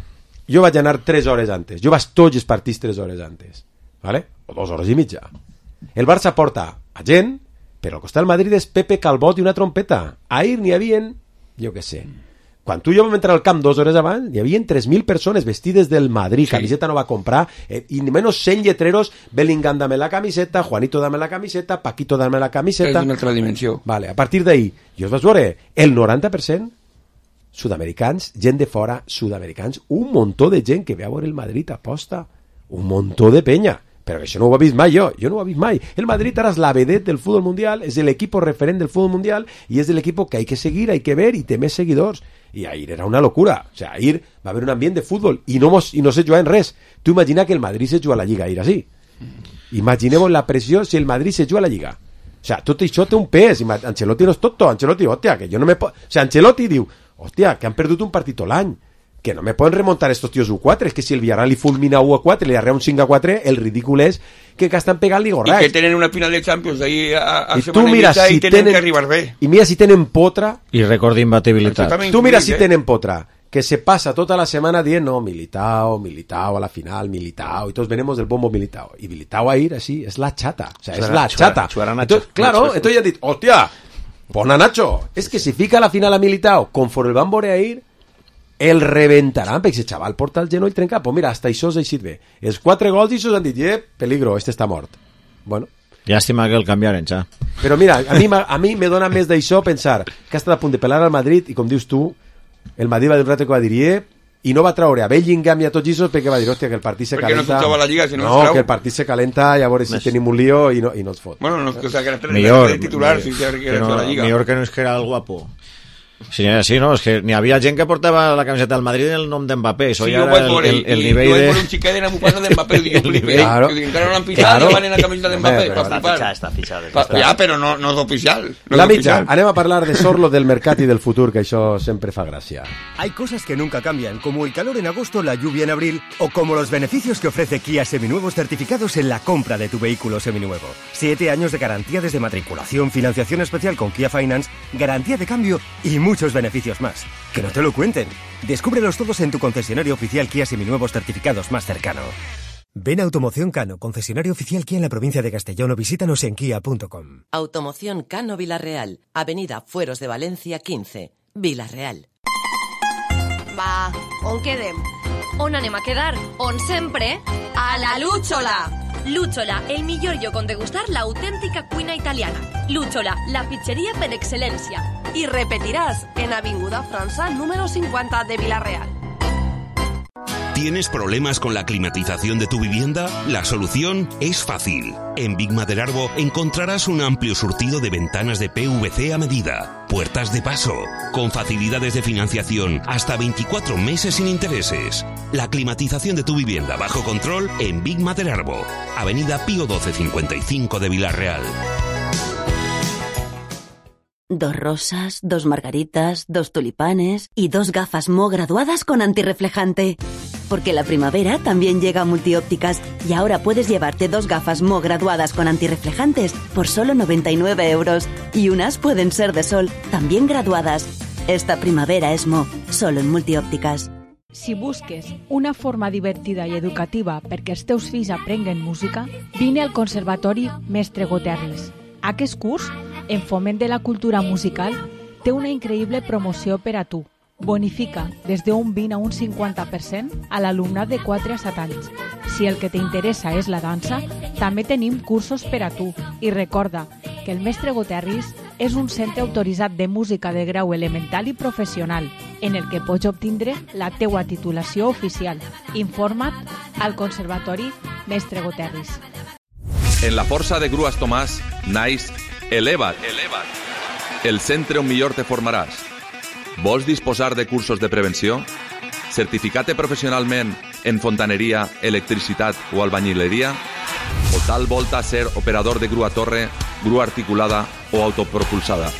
[SPEAKER 4] Jo vaig anar tres hores antes. Jo vaig tots els partits tres hores antes. ¿Vale? O dos hores i mitja. El Barça porta a gent, però al costat del Madrid és Pepe Calbot i una trompeta. Ahir n'hi havien, jo què sé, quan tu i jo vam entrar al camp dues hores abans, hi havia tres mil persones vestides del Madrid, sí. Camiseta no va comprar, eh, i ni menos cent lletreros, Bellingham dame la camiseta, Juanito dame la camiseta, Paquito dame la camiseta.
[SPEAKER 8] És una altra dimensió.
[SPEAKER 4] Vale, a partir d'ahir, jo us vaig veure, el noranta per cent sud-americans, gent de fora, sud-americans, un muntó de gent que ve a veure el Madrid aposta, un muntó de penya. Però això no ho he vist mai jo, jo no ho he vist mai. El Madrid ara és la vedette del fútbol mundial, és l'equip referent del fútbol mundial i és l'equip que hay que seguir, hay que ver i té més seguidors. I ahir era una locura. O sea, ahir va haver un ambient de futbol i no, mos, i no se juga en res. Tu imagina que el Madrid se juga a la Lliga ahir així. Imaginemos la pressió si el Madrid se juga a la Lliga. O sea, tot això té un pes. Ancelotti no és tonto. Ancelotti, hòstia, que jo no me puedo... O sea, Ancelotti diu, hòstia, que han perdut un partit tot l'any. Que no me pueden remontar estos tíos u quatre, es que si el Villarreal li fulmina u quatre, li arrea un cinc a quatre, el ridícul és que que estan pegant-li gorracs.
[SPEAKER 8] I que tenen una final de Champions ahí a, a
[SPEAKER 4] I
[SPEAKER 8] setmana
[SPEAKER 4] tu mira
[SPEAKER 8] i mitja
[SPEAKER 4] si
[SPEAKER 8] i tenen
[SPEAKER 4] tenen,
[SPEAKER 8] que arribar bé.
[SPEAKER 4] I mira si tenen potra,
[SPEAKER 7] I record d'imbatibilitat.
[SPEAKER 4] tu mira si tenen potra, que se passa tota la setmana dient, no, Militao, Militao a la final, Militao, y todos venimos del bombo Militao. Y Militao a ir así, es la chata, o sea, es la chata. Entonces, claro, entonces ya han dit, hostia, pon a Nacho. Es que si fica la final a Militao, conforme el van veure a ir, el reventaran, perquè si xaval porta el genoll trencat, pues mira, hasta això s'ha eixit bé. Els quatre gols i s'han dit, eh, peligro, este està mort. Bueno.
[SPEAKER 7] Llàstima que el canviaren, ja.
[SPEAKER 4] Però mira, a mi, a mi me dona més d'això pensar que ha estat a punt de pelar al Madrid i com dius tu, el Madrid va dir un rato que va dir, eh, i no va traure a Bellingham i a tots això perquè va dir, hòstia, que el partit se
[SPEAKER 8] perquè
[SPEAKER 4] calenta.
[SPEAKER 8] no la Lliga, si no,
[SPEAKER 4] no que el partit se calenta i a veure si
[SPEAKER 7] Més.
[SPEAKER 4] tenim un lío i no, i no es fot.
[SPEAKER 8] Bueno, no, o sea, que no
[SPEAKER 7] millor,
[SPEAKER 8] de titular,
[SPEAKER 7] millor,
[SPEAKER 8] si se
[SPEAKER 7] que no,
[SPEAKER 8] la Lliga.
[SPEAKER 7] millor que no és que era el guapo. Sí, sí, no, és que n'hi havia gent que portava la camiseta del Madrid en el nom d'Mbappé, això
[SPEAKER 8] sí,
[SPEAKER 7] ja era el, el, el nivell
[SPEAKER 8] de...
[SPEAKER 7] de...
[SPEAKER 8] Por un xiquet en bufanda de Mbappé, digo, flipé,
[SPEAKER 4] claro.
[SPEAKER 8] que encara no l'han pisat
[SPEAKER 4] Claro.
[SPEAKER 8] i van en la camiseta de Mbappé,
[SPEAKER 4] Però
[SPEAKER 8] para
[SPEAKER 5] Està
[SPEAKER 8] flipar.
[SPEAKER 5] fitxat, està fitxat.
[SPEAKER 8] Pa,
[SPEAKER 5] Està...
[SPEAKER 8] ja, però no, no és oficial. No
[SPEAKER 4] La
[SPEAKER 8] és
[SPEAKER 4] mitja,
[SPEAKER 8] oficial.
[SPEAKER 4] anem a parlar de Sorlo, del mercat i del futur, que això sempre fa gràcia.
[SPEAKER 11] Hay cosas que nunca cambian, como el calor en agosto, la lluvia en abril o como los beneficios que ofrece Kia Seminuevos certificados en la compra de tu vehículo seminuevo. Siete años de garantía desde matriculación, financiación especial con Kia Finance, garantía de cambio y muchos beneficios más. Que no te lo cuenten. Descúbrelos todos en tu concesionario oficial Kia Seminuevos certificados más cercano. Ven a Automoción Cano, concesionario oficial Kia en la provincia de Castellón o visítanos en kia punto com.
[SPEAKER 12] Automoción Cano Vilarreal, Avenida Fueros de Valencia quinze, Vilarreal.
[SPEAKER 13] Va, on quedem? On anem a quedar? On sempre? A la Lúchola! Lúchola, el millor lloc on degustar l'autèntica cuina italiana. Lúchola, la pizzeria per excel·lència. I repetiràs en Avinguda França número cincuenta de Vilarreal.
[SPEAKER 14] ¿Tienes problemas con la climatización de tu vivienda? La solución es fácil. En Big Maderarbo encontrarás un amplio surtido de ventanas de P V C a medida, puertas de paso, con facilidades de financiación hasta veinticuatro meses sin intereses. La climatización de tu vivienda bajo control en Big Maderarbo, Avenida Pío doce cincuenta y cinco de Vilarreal.
[SPEAKER 15] Dos rosas, dos margaritas, dos tulipanes y dos gafas Mo graduadas con antirreflejante. Porque la primavera también llega a Multiópticas y ahora puedes llevarte dos gafas Mo graduadas con antirreflejantes por solo noventa y nueve euros. Y unas pueden ser de sol, también graduadas. Esta primavera es Mo, solo en Multiópticas.
[SPEAKER 16] Si busques una forma divertida i educativa perquè els teus fills aprenguen música, vine al Conservatori Mestre Goterris. Aquest curs, en foment de la cultura musical, té una increïble promoció per a tu. Bonifica des d'un vint a un cinquanta per cent a l'alumnat de quatre a set anys. Si el que t'interessa és la dansa, també tenim cursos per a tu. I recorda que el Mestre Goterris és un centre autoritzat de música de grau elemental i professional, en el que pots obtindre la teua titulació oficial. Informa't al Conservatori Mestre Goterris.
[SPEAKER 17] En la força de Grues Tomàs naix Eleva't, Eleva't, el centre on millor te formaràs. Vols disposar de cursos de prevenció? Certificat-te professionalment en fontaneria, electricitat o albañileria? O tal volta ser operador de grua torre, grua articulada o autopropulsada?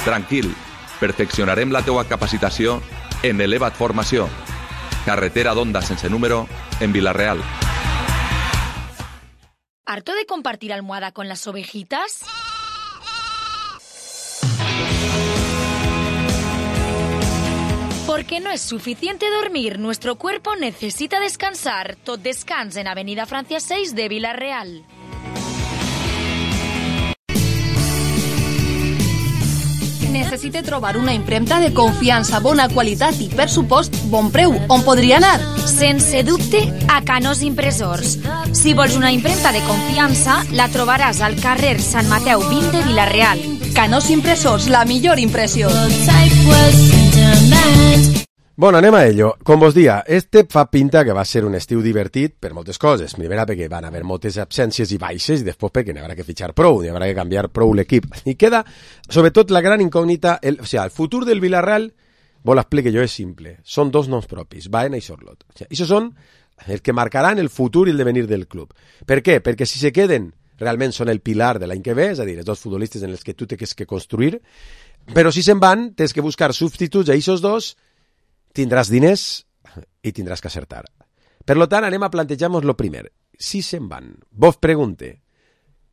[SPEAKER 17] Tranquil, perfeccionarem la teua capacitació en Eleva't Formació. Carretera d'Onda sense número, en Vila-real.
[SPEAKER 13] ¿Harto de compartir almohada con las ovejitas? Porque no es suficiente dormir, nuestro cuerpo necesita descansar. Tot descans en Avenida Francia seis de Vila-real.
[SPEAKER 18] Necessite trobar una impremta de confiança, bona qualitat i, per supost, bon preu. On podria anar?
[SPEAKER 13] Sense dubte, a Canós Impressors. Si vols una impremta de confiança, la trobaràs al carrer Sant Mateu vint de Vila-real.
[SPEAKER 18] Canós Impressors, la millor impressió.
[SPEAKER 4] Bueno, anem a ello. Com vos dia, este fa pinta que va ser un estiu divertit per moltes coses. Primera, perquè van haver moltes absències i baixes, i després perquè n'hi haurà que fitxar prou, n'hi haurà que canviar prou l'equip. I queda, sobretot, la gran incògnita, el, o sigui, el futur del Villarreal, vos l'explique jo, és simple. Són dos noms propis, Baena i Sorlot. O sigui, això són els que marcaran el futur i el devenir del club. Per què? Perquè si se queden, realment són el pilar de l'any que ve, és a dir, els dos futbolistes en els que tu tens que construir, però si se'n van, tens que buscar substituts a aquests dos, tindràs diners i tindràs que acertar. Per lo tant, anem a plantejar-nos lo primer. Si se'n van, vos pregunte,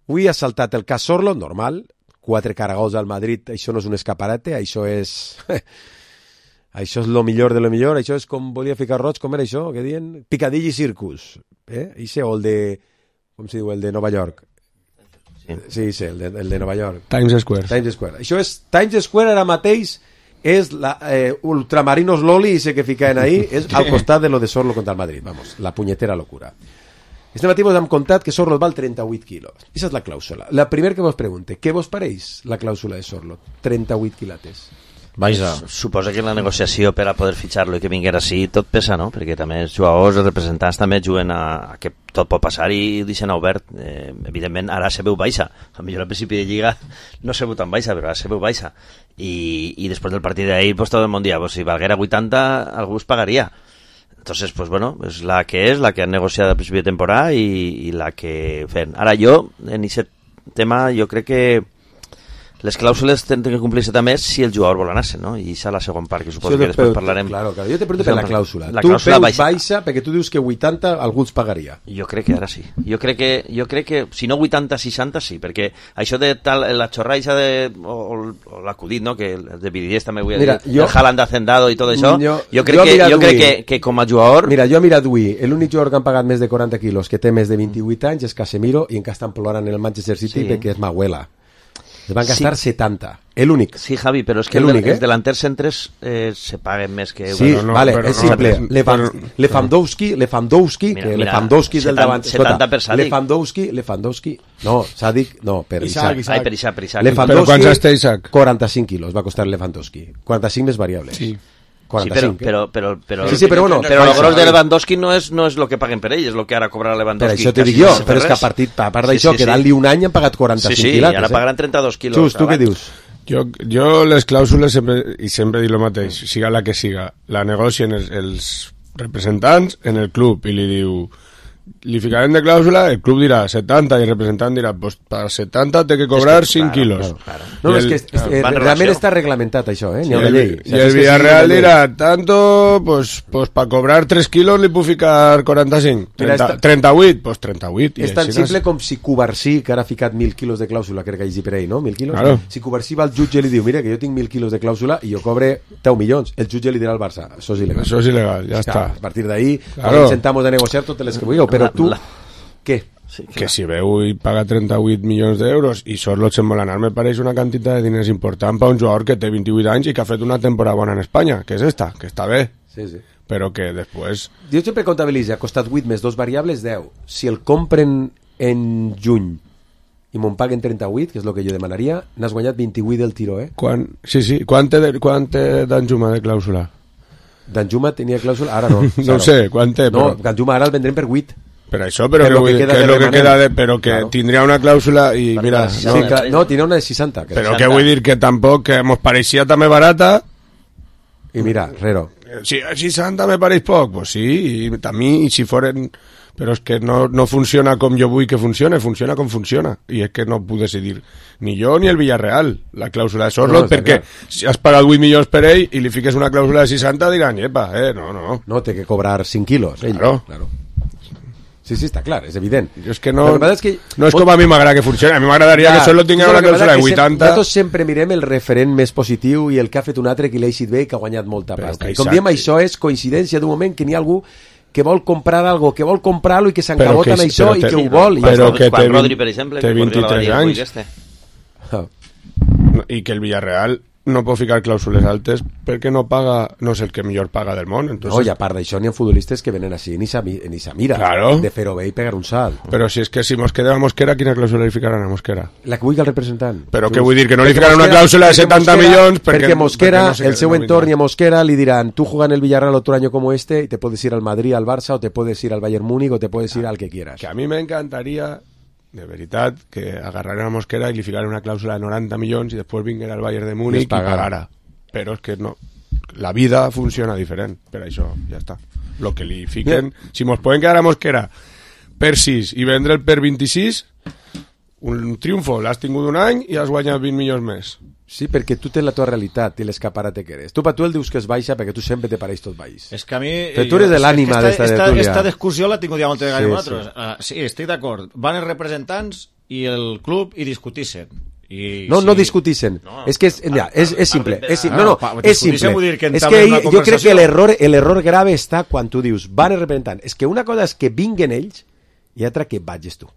[SPEAKER 4] avui ha saltat el cas Sorlot, normal, quatre caragols al Madrid, això no és un escaparate, això és... això és lo millor de lo millor, això és com volia ficar roig, com era això, què diuen? Picadilly Circus, eh? Ixe, o el de... com se diu, el de Nova York. Sí, sí, sí el, de, el de Nova York.
[SPEAKER 6] Times Square.
[SPEAKER 4] Times Square. Això és... Times Square ara mateix... és la, eh, Ultramarinos Loli, ese que ficaven ahí, és al costat de lo de Sorlot contra el Madrid, vamos, la punyetera locura. Este matí vos hem contat que Sorlot val trenta-vuit quilos. Aquesta és la clàusula. La primera que vos pregunte, què vos pareix la clàusula de Sorlot? trenta-vuit quilates.
[SPEAKER 5] Vaja. Suposa que la negociació per a poder fitxar-lo i que vinguera així tot pesa, no? Perquè també els jugadors, els representants també juguen a, a que tot pot passar i deixen obert. Eh, evidentment, ara se veu baixa. A millor al principi de Lliga no se veu tan baixa, però ara se veu baixa. I, i després del partit d'ahir, pues, tot el món dia, pues, si valguera vuitanta, algú es pagaria. Entonces, pues bueno, és la que és, la que han negociat al principi de temporada i, i la que fem. Ara jo, en aquest tema, jo crec que les clàusules tenen que complir-se també si el jugador vol anar-se, no? I això és la segona part, que suposo sí, que després parlarem.
[SPEAKER 4] Claro, claro. Jo te pregunto per la clàusula.
[SPEAKER 5] La
[SPEAKER 4] tu
[SPEAKER 5] clàusula
[SPEAKER 4] veus
[SPEAKER 5] baixa.
[SPEAKER 4] baixa perquè tu dius que vuitanta algú els pagaria.
[SPEAKER 5] Jo crec que ara sí. Jo crec que, jo crec que si no vuitanta, seixanta sí, perquè això de tal, la xorraixa de, o, o l'acudit, no? Que el de Vidides també vull dir, el Haaland hacendado i tot això, jo, jo crec, jo que, jo crec que, que com a jugador...
[SPEAKER 4] Mira, jo he mirat avui, l'únic jugador que han pagat més de quaranta quilos que té més de vint-i-vuit anys és Casemiro i encara estan plorant en el Manchester City sí. perquè és Mahuela. Es van gastar sí. setanta. El únic.
[SPEAKER 5] Sí, Javi, però és que el únic, els eh? delanters centres eh, se paguen més que...
[SPEAKER 4] Sí, no, vale, és no, simple. No, Lefan, però... Lewandowski, Lewandowski,
[SPEAKER 5] mira,
[SPEAKER 4] que
[SPEAKER 5] mira,
[SPEAKER 4] Lewandowski és del davant...
[SPEAKER 5] setanta per Sadik.
[SPEAKER 4] Lewandowski, Lewandowski... No, Sadik, no, per Isaac.
[SPEAKER 5] Isaac. Ai, per Isaac, per Isaac.
[SPEAKER 4] Lewandowski,
[SPEAKER 6] però quants està Isaac?
[SPEAKER 4] quaranta-cinc quilos va costar Lewandowski. quaranta-cinc més variables.
[SPEAKER 6] Sí.
[SPEAKER 4] quaranta-cinc,
[SPEAKER 5] sí, però, però, però, però,
[SPEAKER 4] sí, sí, però, bueno,
[SPEAKER 5] però el gros de Lewandowski no és, no és el que paguen per ell, és el que ara cobrarà Lewandowski.
[SPEAKER 4] Per això te dic jo, però és que a, partit, a part d'això, sí, sí, quedant-li un any han pagat quaranta-cinc
[SPEAKER 5] sí, sí,
[SPEAKER 4] quilates.
[SPEAKER 5] Sí, i ara pagaran trenta-dos quilos.
[SPEAKER 4] Xus, tu què dius?
[SPEAKER 6] Jo, jo les clàusules sempre, i sempre dic el mateix, siga la que siga, la negocien els, els representants en el club i li diu, li ficarem de clàusula, el club dirà setanta i el representant dirà, pues per setanta té que cobrar es que, cinc claro, quilos.
[SPEAKER 4] Claro, claro. No, el, és que és, eh, realment està reglamentat això, eh? N'hi ha una llei.
[SPEAKER 6] I el Villarreal dirà, tanto, pues, pues per cobrar tres quilos li puc ficar quaranta-cinc. trenta-vuit, pues trenta-vuit.
[SPEAKER 4] És tan simple com si Cubarsí, que ara ha ficat mil quilos de clàusula, crec que hagi per ahí, no? Mil quilos?
[SPEAKER 6] Claro.
[SPEAKER 4] Si Cubarsí va al jutge i li diu, mira, que jo tinc mil quilos de clàusula i jo cobre deu milions, el jutge li dirà al Barça, això és il·legal.
[SPEAKER 6] Això és il·legal, ja està.
[SPEAKER 4] A partir d'ahí, claro. Intentamos de negociar totes les que vulgueu, però tu... La... Què?
[SPEAKER 6] Sí, que si veu i paga trenta-vuit milions d'euros i Sorlot se'n vol anar, me pareix una quantitat de diners important per un jugador que té vint-i-vuit anys i que ha fet una temporada bona en Espanya, que és esta, que està bé,
[SPEAKER 4] sí, sí.
[SPEAKER 6] Però que després...
[SPEAKER 4] Jo sempre comptabilitzo, ha costat vuit més dos variables, deu. Si el compren en juny i me'n paguen trenta-vuit, que és el que jo demanaria, n'has guanyat vint-i-vuit del tiro, eh?
[SPEAKER 6] Quan... Sí, sí. Quant té, de... quant té Danjuma de clàusula?
[SPEAKER 4] Danjuma tenia clàusula, ara no.
[SPEAKER 6] No ho sé, quant té,
[SPEAKER 4] no,
[SPEAKER 6] però...
[SPEAKER 4] Danjuma ara el vendrem per vuit.
[SPEAKER 6] Per això, però, però que, que, que és el que queda de... Però que claro. Tindria una clàusula i per mira...
[SPEAKER 4] No, sí, que, no, tindria una de seixanta. Que
[SPEAKER 6] però què vull dir? Que tampoc, que mos pareixia també barata...
[SPEAKER 4] I mira, rero.
[SPEAKER 6] Si seixanta me pareix poc, pues sí, i a mi, i si foren... Però és que no, no funciona com jo vull que funcione, funciona com funciona. I és que no puc decidir ni jo ni el Villarreal la clàusula de Sorloth, no, perquè clar. Si has pagat vuit milions per ell i li fiques una clàusula de seixanta, diran, epa, eh, no, no.
[SPEAKER 4] No, té que cobrar cinc quilos. Ell.
[SPEAKER 6] Claro.
[SPEAKER 4] claro. Sí, sí, està clar, és evident.
[SPEAKER 6] Jo és que no,
[SPEAKER 4] que és que...
[SPEAKER 6] no és com a mi m'agrada que funcioni, a mi m'agradaria que Sorloth tingués una clàusula de vuitanta.
[SPEAKER 4] Nosaltres sempre mirem el referent més positiu i el que ha fet un altre que l'ha eixit bé i que ha guanyat molta pasta. I com diem, això és coincidència d'un moment que n'hi ha algú que vol comprar algo, que vol comprar-lo i que s'encabota en això i que ho vol.
[SPEAKER 5] Però que té, Rodri, per exemple,
[SPEAKER 6] té vint-i-tres anys i que el Villarreal no pot ficar clàusules altes perquè no paga, no és el que millor paga del món. Entonces...
[SPEAKER 4] No, i a part d'això n'hi ha futbolistes que venen així ni se, ni se mira
[SPEAKER 6] claro.
[SPEAKER 4] De fer-ho bé i pegar un salt.
[SPEAKER 6] Però si és que si mos quedem a Mosquera, quina clàusula li ficaran a Mosquera?
[SPEAKER 4] La que vulgui el representant.
[SPEAKER 6] Però què vull dir? Que no li ficaran una clàusula de setanta milions perquè,
[SPEAKER 4] perquè Mosquera,
[SPEAKER 6] perquè no
[SPEAKER 4] el seu entorn i a Mosquera li diran, tú juegas en el Villarreal otro año como este y te puedes ir al Madrid, al Barça, o te puedes ir al Bayern Múnich, o te puedes ir al que quieras.
[SPEAKER 6] Que a mi m'encantaria de veritat que agarraren a Mosquera i li ficaran una clàusula de noranta milions i després vinguera al Bayern de Múnich i pagara. Però és que no, la vida funciona diferent, per això ja està. Lo que li fiquen, yeah. Si mos poden quedar a Mosquera per sis i vendre'l per vint-i-sis, un triomfo, l'has tingut un any i has guanyat vint milions més.
[SPEAKER 4] Sí, perquè tu tens la tua realitat i l'escaparate que eres. Tu per tu el dius que és baixa perquè tu sempre te pareix tot baix.
[SPEAKER 7] És que a mi...
[SPEAKER 4] Però tu eres de l'ànima d'esta tertúlia.
[SPEAKER 7] Esta discussió la tinc ja moltes vegades
[SPEAKER 4] sí,
[SPEAKER 7] amb nosaltres. Sí. Uh, sí, estic d'acord. Van els representants i el club i discutissen. I,
[SPEAKER 4] no,
[SPEAKER 7] sí.
[SPEAKER 4] no discutissen. No, és que és, ja, és, és simple. És, no, no,
[SPEAKER 7] no,
[SPEAKER 4] és simple.
[SPEAKER 7] Que
[SPEAKER 4] és que ell, jo crec que l'error l'error grave està quan tu dius van els representants. És que una cosa és que vinguen ells i altra que vagis tu.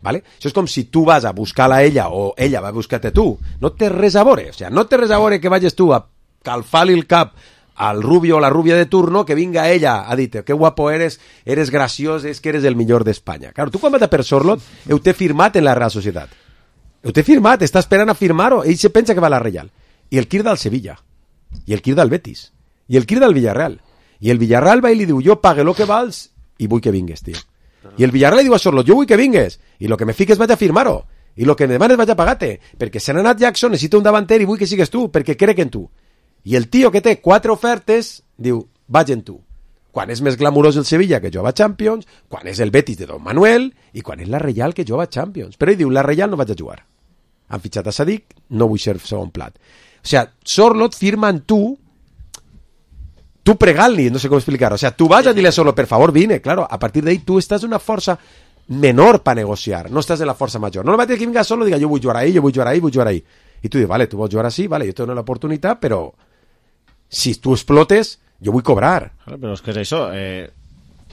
[SPEAKER 4] ¿Vale? Això és com si tu vas a buscar-la a ella o ella va a buscar-te tu. No té res a veure. O sea, no té res a veure que vagis tu a calfar-li el cap al rubio o la rubia de turno que vinga ella a dir-te que guapo eres, eres graciós, és que eres el millor d'Espanya. Claro, tu quan vas a per Sorloth heu t'he firmat en la Real Societat. Ho té firmat, està esperant a firmar-ho. Ell se pensa que va a la Reial. I el crida al Sevilla. I el crida al Betis. I el crida al Villarreal. I el Villarreal va i li diu, jo pague lo que vals i vull que vingues, tio. I el Villarreal li diu a Sorloth, jo vull que vingues. I lo que me fiques vaig a firmar-ho. I lo que me demanes vaig a pagar-te. Perquè se n'ha anat Jackson, necessita un davanter i vull que sigues tu, perquè crec en tu. I el tio que té quatre ofertes diu, vaig en tu. Quan és més glamurós el Sevilla que jova a Champions, quan és el Betis de Don Manuel i quan és la Reial que jova a Champions. Però ell diu, la Reial no vaig a jugar. Han fitxat a Sadik, no vull ser segon plat. O sea, Sorloth firma en tu, tu pregant-li, no sé com explicar-ho. O sea, tu vas a dir-li a Sorloth, per favor, vine, claro, a partir d'ahí tu estàs una força menor per negociar, no estàs en la força major. No el mateix que vinga Sorloth i diga, jo vull jugar ahí, jo vull jugar ahí, vull jugar ahí. I tu dius, vale, tu vols jugar així, vale, jo tengo l'oportunitat, però si tu explotes, jo vull cobrar.
[SPEAKER 7] Claro, però és que és això, eh...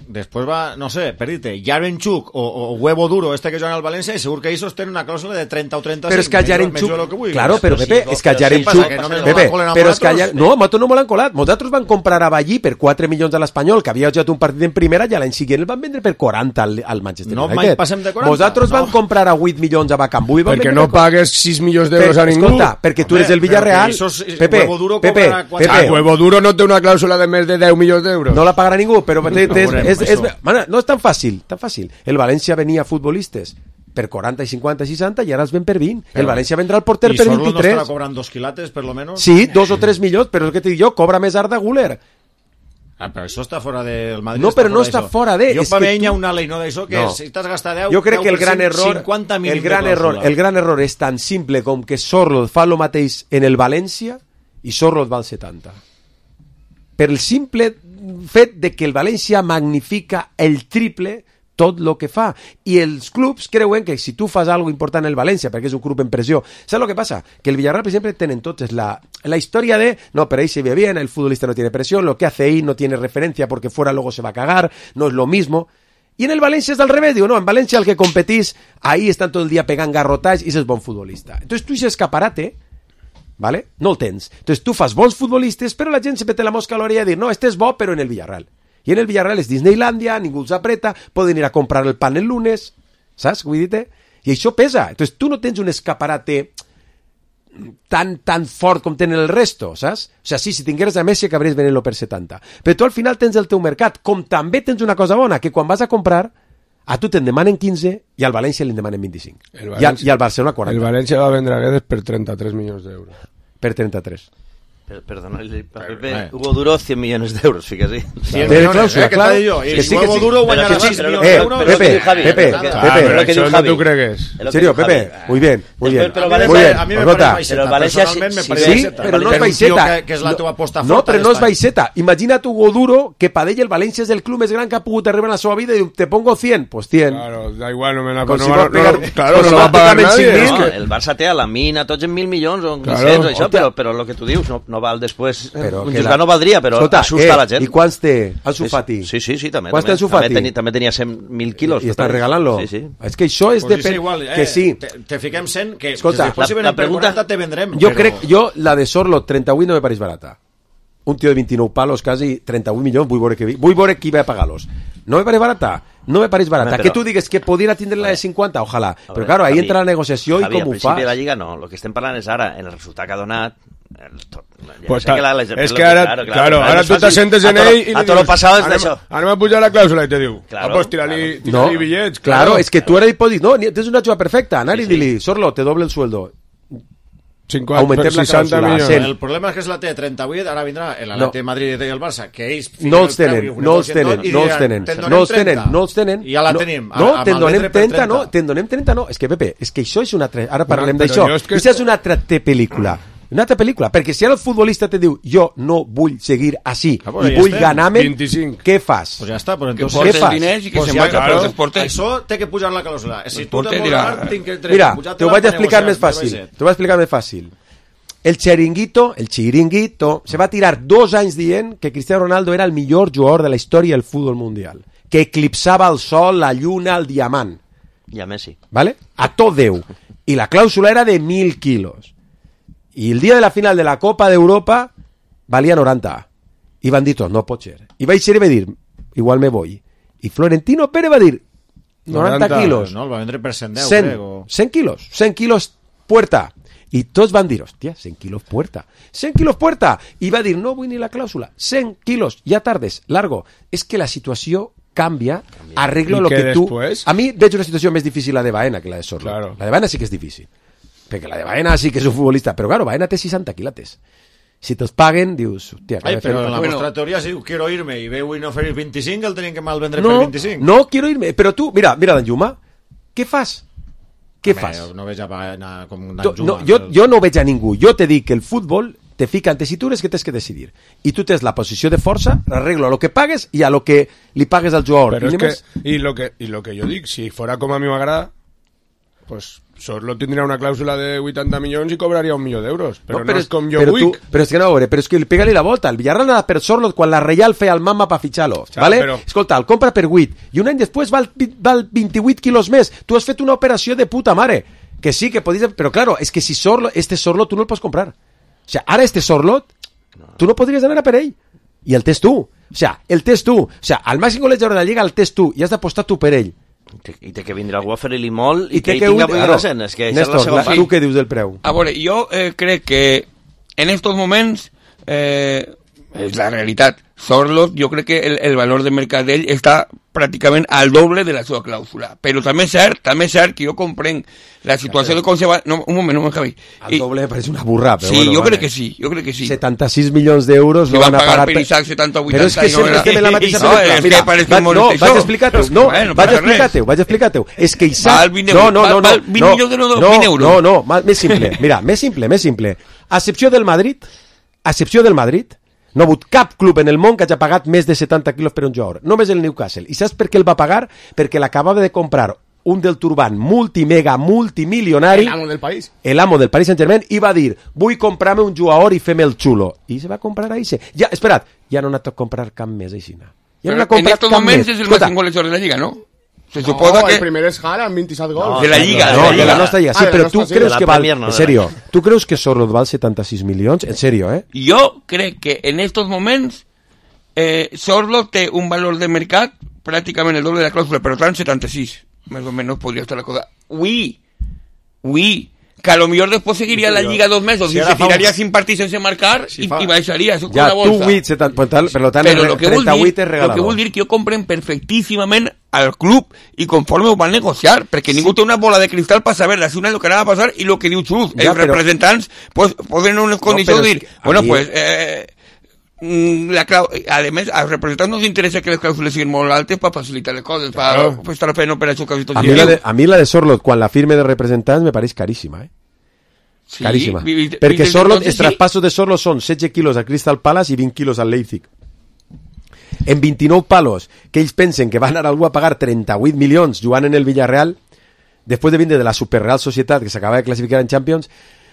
[SPEAKER 7] Després va, no sé, per dir-te, Yarenchuk o, o Huevo Duro, este que juega al València, i segur que ells tenen una clàusula de trenta o trenta-cinc.
[SPEAKER 4] Però és que Yarenchuk... Claro, però Pepe,
[SPEAKER 7] sí,
[SPEAKER 4] és que Yarenchuk... Pepe, però és que Yarenchuk... No, nosaltres no m'ho l'han colat. Nosaltres van comprar a Ballí per quatre milions a l'Espanyol, que havia jugat un partit en primera, i l'any següent el van vendre per quaranta al, al Manchester
[SPEAKER 7] no,
[SPEAKER 4] United.
[SPEAKER 7] No, mai passem de quaranta.
[SPEAKER 4] Nosaltres no. Van comprar a vuit milions a Bacambú i van
[SPEAKER 6] perquè no pagues sis milions d'euros a ningú.
[SPEAKER 4] Escolta, perquè tu eres el Villarreal. Pepe, Pepe, Pepe...
[SPEAKER 6] Huevo Duro no té una clàusula de més de deu milions d'euros.
[SPEAKER 4] No la pagarà ningú, però no és tan fàcil, tan fàcil. El València venia futbolistes per quaranta, cinquanta, seixanta i ara els ven per vint. Però, el València vendrà el porter per vint-i-tres.
[SPEAKER 7] I Sorloth no estarà cobrant dos quilates, per lo menos?
[SPEAKER 4] Sí, dos o tres milions, però el que t'he dit jo, cobra més Arda Güler.
[SPEAKER 7] Ah, però això està fora del Madrid.
[SPEAKER 4] No, però no està fora de...
[SPEAKER 7] Jo per mi hi ha una lei, no d'això, que no. Si t'has gastat deu,
[SPEAKER 4] jo crec que el gran error,
[SPEAKER 7] cinquanta mínim
[SPEAKER 4] el gran error, el gran error és tan simple com que Sorloth fa el mateix en el València i Sorloth val setanta. Per el simple fet de que el València magnifica el triple tot el que fa. I els clubs creuen que si tu fas algo important en el València, perquè és un club en pressió, saps el que passa? Que el Villarreal, per exemple, tenen tots la, la història de, no, pero ahí se ve bien, el futbolista no tiene presión, lo que hace ahí no tiene referencia porque fuera luego se va a cagar, no es lo mismo. Y en el Valencia es al revés, digo, no, en Valencia el que competís, ahí están todo el día pegant garrotats i és bon futbolista. Entonces tu ese escaparate, ¿vale? No el tens. Entonces tu fas bons futbolistes, però la gent se pete la mosca a l'orella a dir, no, este es bo, però en el Villarreal. I en el Villarreal és Disneylandia, ningú els apreta, poden ir a comprar el pan el lunes, saps què vull dir-te? I això pesa. Entonces, tu no tens un escaparate tan, tan fort com tenen el resto, saps? O sea, sí, si tingueres a Messi acabaries venent-lo per setanta. Però tu al final tens el teu mercat, com també tens una cosa bona, que quan vas a comprar, a tu te'n demanen quinze i al València li demanen vint-i-cinc. I al, i al Barcelona quaranta.
[SPEAKER 6] El València va vendre a Guedes per trenta-tres milions d'euros.
[SPEAKER 4] Per trenta-tres.
[SPEAKER 5] Perdona, Pepe, Hugo Duro cien millones de euros, fíjate.
[SPEAKER 7] cien millones, eh, claro. Que sí, Hugo Duro guanyarà sis millones de euros.
[SPEAKER 4] Pepe, Pepe, Pepe,
[SPEAKER 6] eso no tú crees.
[SPEAKER 4] En serio, Pepe, muy bien, muy bien.
[SPEAKER 7] Muy bien, a mí me parece baixeta. Personalment me parece baixeta.
[SPEAKER 4] Però no és baixeta.
[SPEAKER 7] Que és la teva aposta
[SPEAKER 4] forta. No, però no és baixeta. Imagina't Hugo Duro, que per ell el València és el club més gran que ha pogut arribar en la seva vida i te pongo cien, pues cien.
[SPEAKER 6] Claro, da igual, no me la
[SPEAKER 4] Con
[SPEAKER 6] no,
[SPEAKER 4] si
[SPEAKER 6] no,
[SPEAKER 4] no, pegar,
[SPEAKER 6] no, claro, no va a pagar nadie.
[SPEAKER 5] No, que... El Barça té a la mina tots en mil milions o en claro. Això, però, però el que tu dius no, no val després...
[SPEAKER 4] Però
[SPEAKER 5] un juzgat no valdria, però
[SPEAKER 4] Escolta,
[SPEAKER 5] assusta
[SPEAKER 4] eh,
[SPEAKER 5] la gent.
[SPEAKER 4] I quants té Ansu Fati?
[SPEAKER 5] Sí, sí, sí, també.
[SPEAKER 4] Quants té Ansu Fati?
[SPEAKER 5] També, també tenia cent mil quilos.
[SPEAKER 4] I, i estan regalant-lo?
[SPEAKER 5] Sí, sí.
[SPEAKER 4] És que això és...
[SPEAKER 7] Pues
[SPEAKER 4] de...
[SPEAKER 7] igual, eh,
[SPEAKER 4] que sí.
[SPEAKER 7] Te, te fiquem cent, que,
[SPEAKER 4] Escolta,
[SPEAKER 7] que després si venen per quaranta te vendrem.
[SPEAKER 4] Jo
[SPEAKER 7] però...
[SPEAKER 4] crec, jo, la de Sorlo, trenta-vuit no me pareix barata. Un tio de vint-i-nou palos, quasi trenta-vuit milions, vull veure, que, vull veure qui va a pagar-los. No me pareix barata. No me pareix barata. Però... Que tu digues que podria tindre la de cinquanta, ojalà. Veure, però claro, ahí Javi, entra la negociació Javi, i com ho fas.
[SPEAKER 5] Al principi de la Lliga no. El que estem parlant és ara, en el resultat que ha donat... El to...
[SPEAKER 6] Pues ta... que la, la, es que ara, claro, claro, claro, ara tu t'assentes en ell i
[SPEAKER 5] a tot lo passat és d'això.
[SPEAKER 6] Ara m'ha pujat la clàusula i te diu,
[SPEAKER 5] claro,
[SPEAKER 6] ah, pues tira-li
[SPEAKER 4] claro.
[SPEAKER 6] no, bitllets.
[SPEAKER 4] Claro, es que tu ara hi pots dir, no, tens una jugada perfecta, anar sí, i sí. dir-li, Sorlo, te doble el sueldo.
[SPEAKER 6] cinquanta, aumentem la clàusula.
[SPEAKER 7] El problema és que és la T trenta-vuit, ara vindrà el Atleti de Madrid i el Barça, que ells...
[SPEAKER 4] No els tenen, no els tenen, no els tenen, no els tenen, no els tenen.
[SPEAKER 7] I ja la tenim.
[SPEAKER 4] No, te'n donem trenta, no, te'n donem trenta, no. És que, Pepe, és que això és una altra... Ara parlem d'això. Això és una altra pel·lícula. Una altra pel·lícula, perquè si ara el futbolista te diu jo no vull seguir així ah, i vull ganar-me, què fas?
[SPEAKER 7] Pues ja està, però
[SPEAKER 8] entonces... Que porten diners i que pues se marca per deporte.
[SPEAKER 7] Això té que pujar la clàusula. Si tu te vols ganar, tinc que...
[SPEAKER 4] Mira, te ho vaig explicar més fàcil. Te ho vaig explicar més fàcil. El chiringuito, el chiringuito, se va tirar dos anys dient que Cristiano Ronaldo era el millor jugador de la història del futbol mundial, que eclipsava el sol, la lluna, el diamant.
[SPEAKER 5] I a Messi.
[SPEAKER 4] ¿Vale? A tot Déu. I la clàusula era de mil quilos. I el dia de la final de la Copa d'Europa valia noranta. I van dir tot, no pot ser. I vaig ser i va dir, igual me voy. I Florentino Pérez va dir, noranta quilos.
[SPEAKER 7] No, el va vendre per cent deu,
[SPEAKER 4] cent,
[SPEAKER 7] crec. O...
[SPEAKER 4] cent quilos, cent quilos puerta. I tots van dir, hòstia, cent quilos puerta. cent quilos puerta. I va dir, no vull ni la clàusula. cent quilos, ja tardes, largo. És que la situació canvia, arreglo lo que tu...
[SPEAKER 6] Después?
[SPEAKER 4] A mi veig una situació més difícil la de Baena que la de Sorlo. Claro. La de Baena sí que és difícil. Perquè la de Baena sí que és un futbolista, però claro, Baena té seixanta quilates. Si te'ls paguen, dius... Hòstia,
[SPEAKER 7] Ai, però en la bueno. Vostra teoria, si quiero irme i veu i no oferir vint-i-cinc, el tenim que mal vendre
[SPEAKER 4] no,
[SPEAKER 7] per vint-i-cinc.
[SPEAKER 4] No, quiero irme. Però tu, mira, mira Dan Juma, què fas? Què
[SPEAKER 7] Home,
[SPEAKER 4] fas?
[SPEAKER 7] No veig a Baena com Dan Juma.
[SPEAKER 4] No, jo, jo no veig a ningú. Jo te dic que el futbol te fica en tessitures que tens que decidir. I tu tens la posició de força, arreglo a lo que pagues i a lo que li pagues al jugador.
[SPEAKER 6] Però és que, i lo que, i lo que jo dic, si fora com a mi m'agrada, pues... Sorlo tindria una clàusula de vuitanta milions i cobraria un milió d'euros, però no, però no és com jo
[SPEAKER 4] però
[SPEAKER 6] vull.
[SPEAKER 4] Tu, però és que no, veure, però és que pega-li la volta. El Villarreal anava per Sorlo quan la Reial feia el mama per fitxar-lo, ja, ¿vale? Però... Escolta, el compra per vuit i un any després val, val vint-i-vuit quilos més. Tu has fet una operació de puta mare. Que sí, que podies... Però claro, és que si Sorlo, este Sorlo tu no el pots comprar. O sea, ara este Sorlo, tu no podries anar a per ell. I el tens tu. O sea, el tens tu. O sea, al màxim golejador de la Lliga el tens tu i has d'apostar tu per ell.
[SPEAKER 5] I té que vindre algú a fer-li molt i, I que ell tinga buena cent. És que
[SPEAKER 4] Néstor, la, tu què dius del preu?
[SPEAKER 8] A veure, jo eh, crec que en estos moments eh, és la realitat. Sorlo, jo crec que el, el valor de mercat d'ell està pràcticament al doble de la seva clàusula. Però també és cert, també és cert que jo comprenc la situació de conservar... No, un moment, un moment, Javi.
[SPEAKER 4] Al doble me pareix una burra, però
[SPEAKER 8] sí,
[SPEAKER 4] bueno.
[SPEAKER 8] Sí, jo
[SPEAKER 4] vale.
[SPEAKER 8] crec que sí, jo crec que sí.
[SPEAKER 4] setanta-sis milions d'euros
[SPEAKER 8] no van a pagar... per Isaac setanta o vuitanta...
[SPEAKER 4] Però és que sempre estem en la mateixa
[SPEAKER 8] no,
[SPEAKER 4] pel·lícula.
[SPEAKER 8] Mira, va,
[SPEAKER 4] no, vaig explicar-te-ho, no,
[SPEAKER 8] bueno,
[SPEAKER 4] vaig explicar-te-ho, vaig explicar-te-ho. És que Isaac...
[SPEAKER 8] Val vint euros,
[SPEAKER 4] no, no, no,
[SPEAKER 8] val vint milions d'euros, vint euros.
[SPEAKER 4] No, no, no, més simple, mira, més simple, més simple. A excepció del Madrid, a excepció del Madrid, no ha hagut cap club en el món que hagi pagat més de setanta quilos per un jugador. Només el Newcastle. I saps per què el va pagar? Perquè l'acabava de comprar un del Turban multimega, multimilionari.
[SPEAKER 9] El amo del país.
[SPEAKER 4] El amo del Paris Saint-Germain i va dir, vull comprar-me un jugador i fer-me el xulo. I se va comprar a Ixe. Ja, espera't, ja no ha anat a comprar cap més Aixina. Ja
[SPEAKER 8] no en estos moments és el màxim golejador de la Lliga, ¿no? Se
[SPEAKER 9] no,
[SPEAKER 8] suposa que...
[SPEAKER 9] el primer és Haaland, veintisiete gols.
[SPEAKER 8] No, de la Lliga.
[SPEAKER 4] No,
[SPEAKER 8] de la,
[SPEAKER 4] de la nostra Lliga. Sí, ah, però tu creus que val...
[SPEAKER 5] No,
[SPEAKER 4] en serio, tu creus que Sorlo val setanta-sis milions? En serio, eh?
[SPEAKER 8] Jo crec que en estos moments eh, Sorlo té un valor de mercat pràcticament el doble de la clàusula, però tant setanta-sis. Més o menys podria estar la cosa. uy, uy, que a lo millor després seguiria la Lliga dos mesos si i se tiraria un... sin partir sense marcar si i, fa... i baixaria, això
[SPEAKER 4] ja,
[SPEAKER 8] con la bolsa.
[SPEAKER 4] Tu vuit, setan... per tant,
[SPEAKER 8] Però lo que
[SPEAKER 4] trenta vuit
[SPEAKER 8] dir,
[SPEAKER 4] és regalador.
[SPEAKER 8] Lo que vol dir que jo compren perfectíssimament al club i conforme ho van negociar, perquè ningú té una bola de cristal per saber la una lo que anava a passar i lo que diu Xus. Ja, els però... representants pues, poden en unes condicions no, dir, bueno, mi... pues... Eh, la clau... a més, als representants no els interessa que les clàusules siguin molt altes per facilitar les coses, per claro. estar fent operacions quasi tot
[SPEAKER 4] a, mi la de, a mi la de Sorlot, quan la firme de representants, me pareix caríssima, eh? Sí, caríssima. Vi, vi, perquè vi, Sorlot, els traspassos de Sorlot són setze quilos al Crystal Palace i vint quilos al Leipzig. En vint-i-nou palos, que ells pensen que van anar algú a pagar trenta-vuit milions jugant en el Villarreal, després de vindre de la Superreal Societat, que s'acaba de classificar en Champions.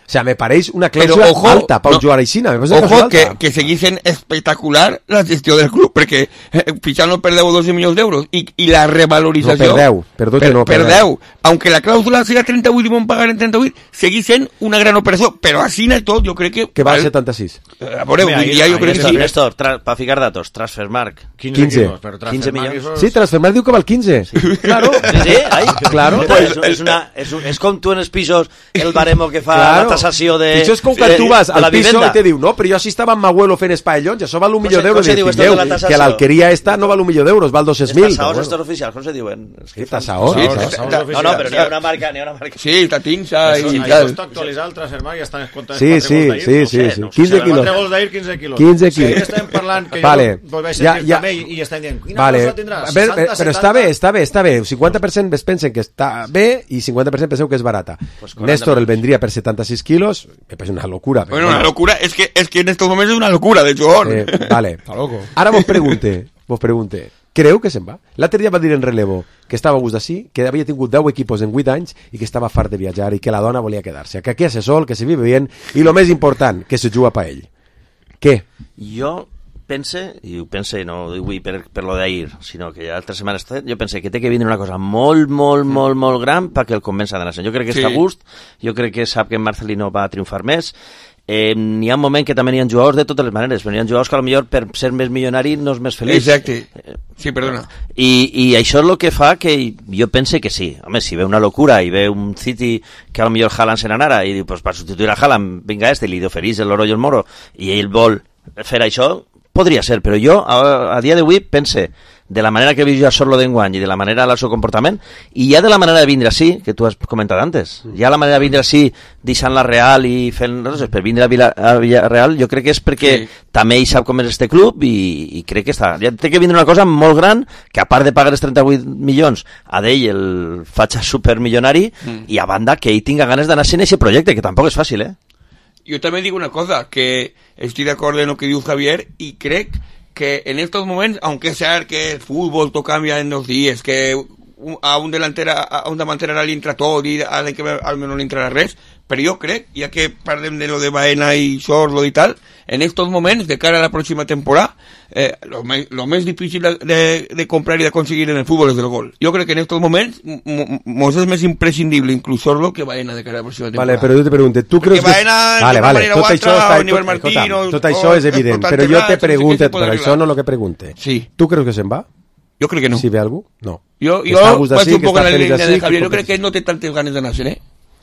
[SPEAKER 4] O sea, me pareix una clàusula alta per un no, jugador aixina.
[SPEAKER 8] Ojo, que, que seguissin espectacular la gestió del club, perquè eh, Pichal no perdeu doce milions d'euros i, i la revalorització...
[SPEAKER 4] No perdeu, perdó que
[SPEAKER 8] per,
[SPEAKER 4] no
[SPEAKER 8] perdeu. Perdeu. Aunque la clàusula siga trenta-vuit i van pagar en trenta-vuit, seguís sent una gran operació, però així no tot, jo crec que...
[SPEAKER 4] Que val setanta-sis.
[SPEAKER 8] A veure, avui dia jo crec que sí.
[SPEAKER 5] Néstor, per ficar datos, Transfermarkt.
[SPEAKER 4] quinze.
[SPEAKER 5] quinze milions.
[SPEAKER 4] Sí, Transfermarkt diu que val quinze. Sí. Claro.
[SPEAKER 5] Sí, sí, ai,
[SPEAKER 4] claro.
[SPEAKER 5] Pues, és, una, és, un, és com tu en els pisos, el baremo que fa claro. La tasació de...
[SPEAKER 4] Això és com quan tu vas al piso i te diu, no, però jo així estava amb Mahuelo fent espaiallons, això val un milió d'euros, i diu, que a l'alqueria esta no val un milió d'euros, val dos-cents mil.
[SPEAKER 5] Els tasaors estos oficials, com se diuen?
[SPEAKER 4] Sí, tasaors.
[SPEAKER 5] No, no, però n'hi ha una marca, n'hi ha una marca.
[SPEAKER 8] Sí, està Tinsa i
[SPEAKER 7] tal. Això actualitzar el Transfermarkt i estan comptant
[SPEAKER 4] sí, sí, sí, sí, sí. quinze quilos.
[SPEAKER 7] quatre gols d'ahir, quinze quilos.
[SPEAKER 4] quinze quilos.
[SPEAKER 7] Sí, estem parlant que
[SPEAKER 4] vale.
[SPEAKER 7] jo vaig sentir també i estem dient, quina
[SPEAKER 4] vale.
[SPEAKER 7] cosa tindràs?
[SPEAKER 4] seixanta, però està bé, està bé, està bé. cinquanta per cent pensen que està bé i cinquanta per cent penseu que és barata. Pues Néstor el vendria per setanta-sis quilos, me parece una locura.
[SPEAKER 8] Bueno, una locura, es que, es que en estos momentos es una locura, de hecho.
[SPEAKER 4] Eh, vale.
[SPEAKER 6] Está loco.
[SPEAKER 4] Ara vos pregunte, vos pregunte, creu que se'n va? L'altre dia va dir en relevo que estava a gust d'ací, que havia tingut deu equipos en vuit anys i que estava fart de viatjar i que la dona volia quedar-se, que aquí hace sol, que se vive bien i lo més important, que se juga pa ell. Què?
[SPEAKER 5] Jo pense, i ho pense no ho dic per, per lo d'ahir, sinó que altres setmanes jo pense que té que vindre una cosa molt, molt, sí. molt, molt gran perquè el convença d'anar-se'n. Jo crec que sí. Està a gust, jo crec que sap que en Marcelino va triomfar més. Eh, n'hi ha un moment que també n'hi ha jugadors de totes les maneres, però n'hi ha jugadors que potser per ser més milionari no és més feliç.
[SPEAKER 8] Exacte. Sí, perdona.
[SPEAKER 5] I, i això és el que fa que jo pense que sí. Home, si ve una locura i ve un City que potser Haaland se n'anara i diu, pues, per substituir a Haaland, vinga este, li oferís l'oro i el moro, i ell vol fer això, podria ser, però jo a, a dia d'avui pense de la manera que he vist jo a Sorlo d'enguany i de la manera del seu comportament i ja de la manera de vindre així, que tu has comentat antes, ja la manera de vindre així deixant la Real i fent coses per vindre a, Vila, a Villarreal, jo crec que és perquè sí. També ell sap com és este club i, i crec que està, ja té que vindre una cosa molt gran que a part de pagar els trenta-vuit milions a d'ell el faig supermilionari mm. i a banda que ell tinga ganes d'anar-se en aquest projecte, que tampoc és fàcil, eh?
[SPEAKER 8] Jo també dic una cosa, que estic d'acord en el que diu Javier i crec que en estos momentos, aunque sea que el fútbol todo cambia en dos días, que a un delantera a un davanter ara li entra tot i a l'any que ve almenys no li entrarà res, però jo crec, ja que parlem de lo de Baena i Sorlo i tal, en estos moments, de cara a la pròxima temporada, eh, lo, me, lo més difícil de, de comprar i de conseguir en el futbol és el gol. Jo crec que en estos moments mos és més imprescindible inclús Sorlo que Baena de cara a la pròxima temporada.
[SPEAKER 4] Vale, però jo te pregunto, tu creus que...
[SPEAKER 8] Baena,
[SPEAKER 4] vale, vale, tot això, està,
[SPEAKER 8] tot, Martín,
[SPEAKER 4] escolta, tot això és evident, però jo te pregunto, però això no és el que pregunte.
[SPEAKER 8] Sí.
[SPEAKER 4] Tu creus que se'n va?
[SPEAKER 8] Jo crec que no.
[SPEAKER 4] Si ve algú? No.
[SPEAKER 8] Jo, jo vaig un poc en la línia de Javier, jo crec que no té tantes ganes d'anar-se'n, eh?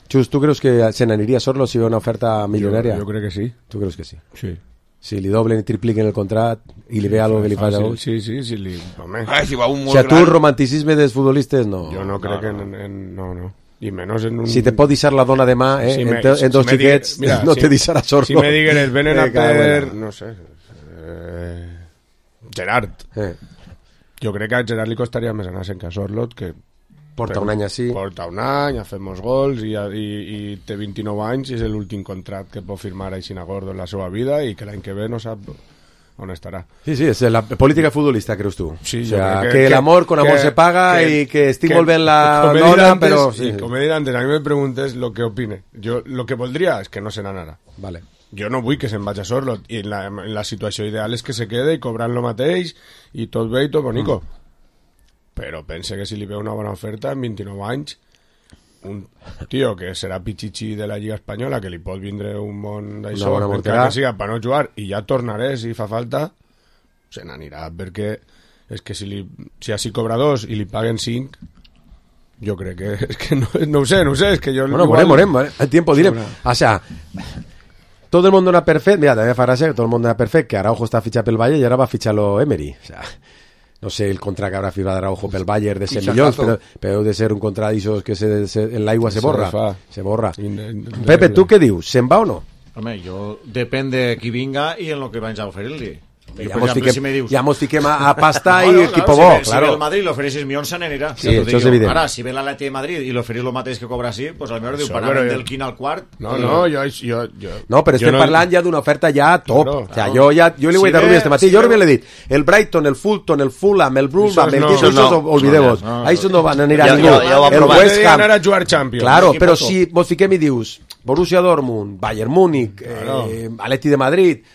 [SPEAKER 4] Xus, tu creus que se n'aniria Sorlo si ve una oferta milionària?
[SPEAKER 6] Jo, jo crec que sí.
[SPEAKER 4] Tu creus que sí?
[SPEAKER 6] Sí.
[SPEAKER 4] Si li doblen i tripliquen el contract i li ve algo que li fa a vos?
[SPEAKER 6] Sí, sí, sí, li... Home.
[SPEAKER 8] Ah, si va un molt
[SPEAKER 4] o sea, tu
[SPEAKER 8] gran...
[SPEAKER 4] el romanticisme dels futbolistes no...
[SPEAKER 6] Jo no crec no, no. En, en... No, no. I menys en un...
[SPEAKER 4] Si te pot deixar la dona demà, eh, si me, en, te, en dos si xiquets, mira, no si, te deixarà Sorlo.
[SPEAKER 6] Si me digueres, venen a per... No sé... Eh, Gerard. Eh. Jo crec que a Gerard li costaria més anar-se'n que a Sorlot, que
[SPEAKER 4] porta un any així,
[SPEAKER 6] porta un any, ha fet molts gols i, i, i té vint-i-nou anys i és l'últim contracte que pot firmar així a Gordo en la seva vida i que l'any que ve no sap on estarà.
[SPEAKER 4] Sí, sí, és la política futbolista, creus tu?
[SPEAKER 6] Sí,
[SPEAKER 4] o sea, que, que, que l'amor con amor que, se paga que, i que estic que, molt bé en la dona, antes, però...
[SPEAKER 6] Sí, sí. Com he dit antes, a mi me preguntes lo que opine. Jo lo que voldria és que no se n'anara.
[SPEAKER 4] Vale.
[SPEAKER 6] Jo no vull que se'n vagi a Sorlot i en la, en la situació ideal és que se quede i cobrant lo mateix i tot bé i tot bonico. Mm. Però pense que si li ve una bona oferta en vint-i-nou anys, un tio que serà pitxitxí de la Lliga Espanyola, que li pot vindre un món d'això, encara que siga per no jugar, i ja tornaré si fa falta, se n'anirà, perquè és que si, li, si així cobra dos i li paguen cinc, yo creo que es que no, no sé, no sé, es que yo...
[SPEAKER 4] Bueno,
[SPEAKER 6] igual...
[SPEAKER 4] morem, morem, el tiempo direm. O sea, todo el mundo dona per fet, mira, també fa gràcia que tot el món dona per fet que Araujo està fitxat pel Bayern i ara va fitxar-lo Emery. O sea, no sé el contrato que habrá firmado Araujo pel Bayern de cent milions, però, però de ser un contrato d'ixos que se, se, en l'aigua se borra. Se, se borra. Pepe, tu què dius? Se'n va o no?
[SPEAKER 7] Home, jo depèn de qui vinga i en el que vaig a oferir-li.
[SPEAKER 4] Ja, ja, mos fiquem, si dius, ja mos fiquem a, a pasta no, no, i equipo
[SPEAKER 7] claro,
[SPEAKER 4] bo,
[SPEAKER 7] si,
[SPEAKER 4] claro.
[SPEAKER 7] Si ve el Madrid i l'ofereix sis milions se n'anirà.
[SPEAKER 4] Sí, això és evident.
[SPEAKER 7] Ara, si ve l'Atleti de Madrid i l'ofereix el mateix que cobra sí, pues potser diu, parant del quin al quart...
[SPEAKER 6] No, no, jo... jo, jo
[SPEAKER 4] no, però estem
[SPEAKER 6] no...
[SPEAKER 4] parlant ja d'una oferta ja top. Claro, o sea,
[SPEAKER 6] claro.
[SPEAKER 4] jo, ja, jo li vull si dar Rubí este matí. Si jo Rubí l'he dit. El Brighton, el Fulton, el Fulham, el Brulham, el Quito, no, no, olvideu-vos. No, no, això no van anar a ningú. El West Ham.
[SPEAKER 6] Anar a jugar Champions.
[SPEAKER 4] Claro, però si vos fiquem i dius Borussia Dortmund, Bayern Múnich, Atleti de Madrid...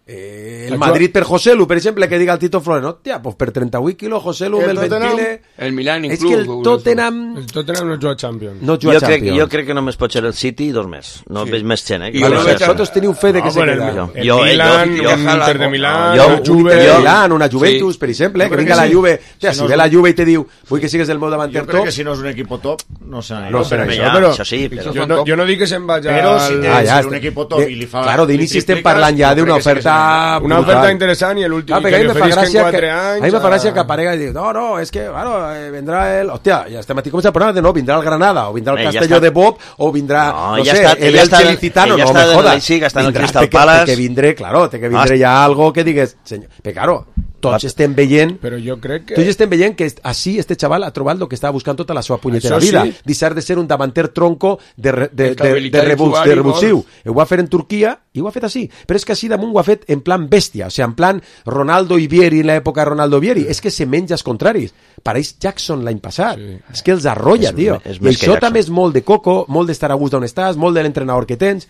[SPEAKER 4] Eh, el Madrid per Joselu, per exemple, que diga el Tito Flores, hòstia, pues per trenta-vuit quilos Joselu el, el ventile...
[SPEAKER 8] El Milan
[SPEAKER 4] és que el Tottenham...
[SPEAKER 6] El Tottenham no juga Champions.
[SPEAKER 4] No juga
[SPEAKER 5] jo, crec,
[SPEAKER 4] Champions.
[SPEAKER 5] jo crec que només pot ser el City i dos més. No sí. veig més gent, eh?
[SPEAKER 4] I vale, vosaltres teniu fe de que no, se queda.
[SPEAKER 6] El, el, el Milan, el Inter de Milán,
[SPEAKER 4] jo, el Juve... El Milan, una Juventus, sí. per exemple, que vinga la Juve... Hòstia, si ve la Juve i te diu vull que sigues el meu davanter top...
[SPEAKER 7] Jo crec que si no és un equip top, no se n'anirà.
[SPEAKER 4] No, però
[SPEAKER 5] això,
[SPEAKER 4] però...
[SPEAKER 5] això sí, però...
[SPEAKER 6] Jo no, jo no dic que se'n vagi al...
[SPEAKER 7] Però si té ah, un equip top i li fa...
[SPEAKER 4] Claro, d'inici estem parlant ja d'una oferta...
[SPEAKER 6] Una oferta interessant i l'últim
[SPEAKER 4] ah,
[SPEAKER 6] que li oferisquen quatre anys...
[SPEAKER 4] A mi me fa gràcia que aparega i diu, no, no, és que, bueno, eh, vendrà el... Hòstia, ja estem aquí començant a parlar de no, vindrà el Granada, o vindrà el eh, Castelló ja de Bob, o vindrà, no, no sé, estat, el Elche Licitano, no me jodas.
[SPEAKER 5] Sí, que està en el Crystal
[SPEAKER 4] Palace. Té que vindre, claro, té que vindre ja algo que digues, senyor, però claro, tots estem veient...
[SPEAKER 6] Però jo crec que...
[SPEAKER 4] Tots estem veient que així este xaval ha trobat el que estava buscant tota la seva punyetera vida, deixar de ser un davanter tronco de, de, de, de, de revulsiu. Ho va fer en Turquia i ho ha fet així, però és que així damunt ho ha fet en plan bèstia, o sigui, en plan Ronaldo i Vieri en l'època de Ronaldo Vieri, és que se menja els contraris. Pareix Jackson l'any passat, sí. És que els arrolla, és, tio, és i això també és molt de coco, molt d'estar a gust d'on estàs, molt de l'entrenador que tens.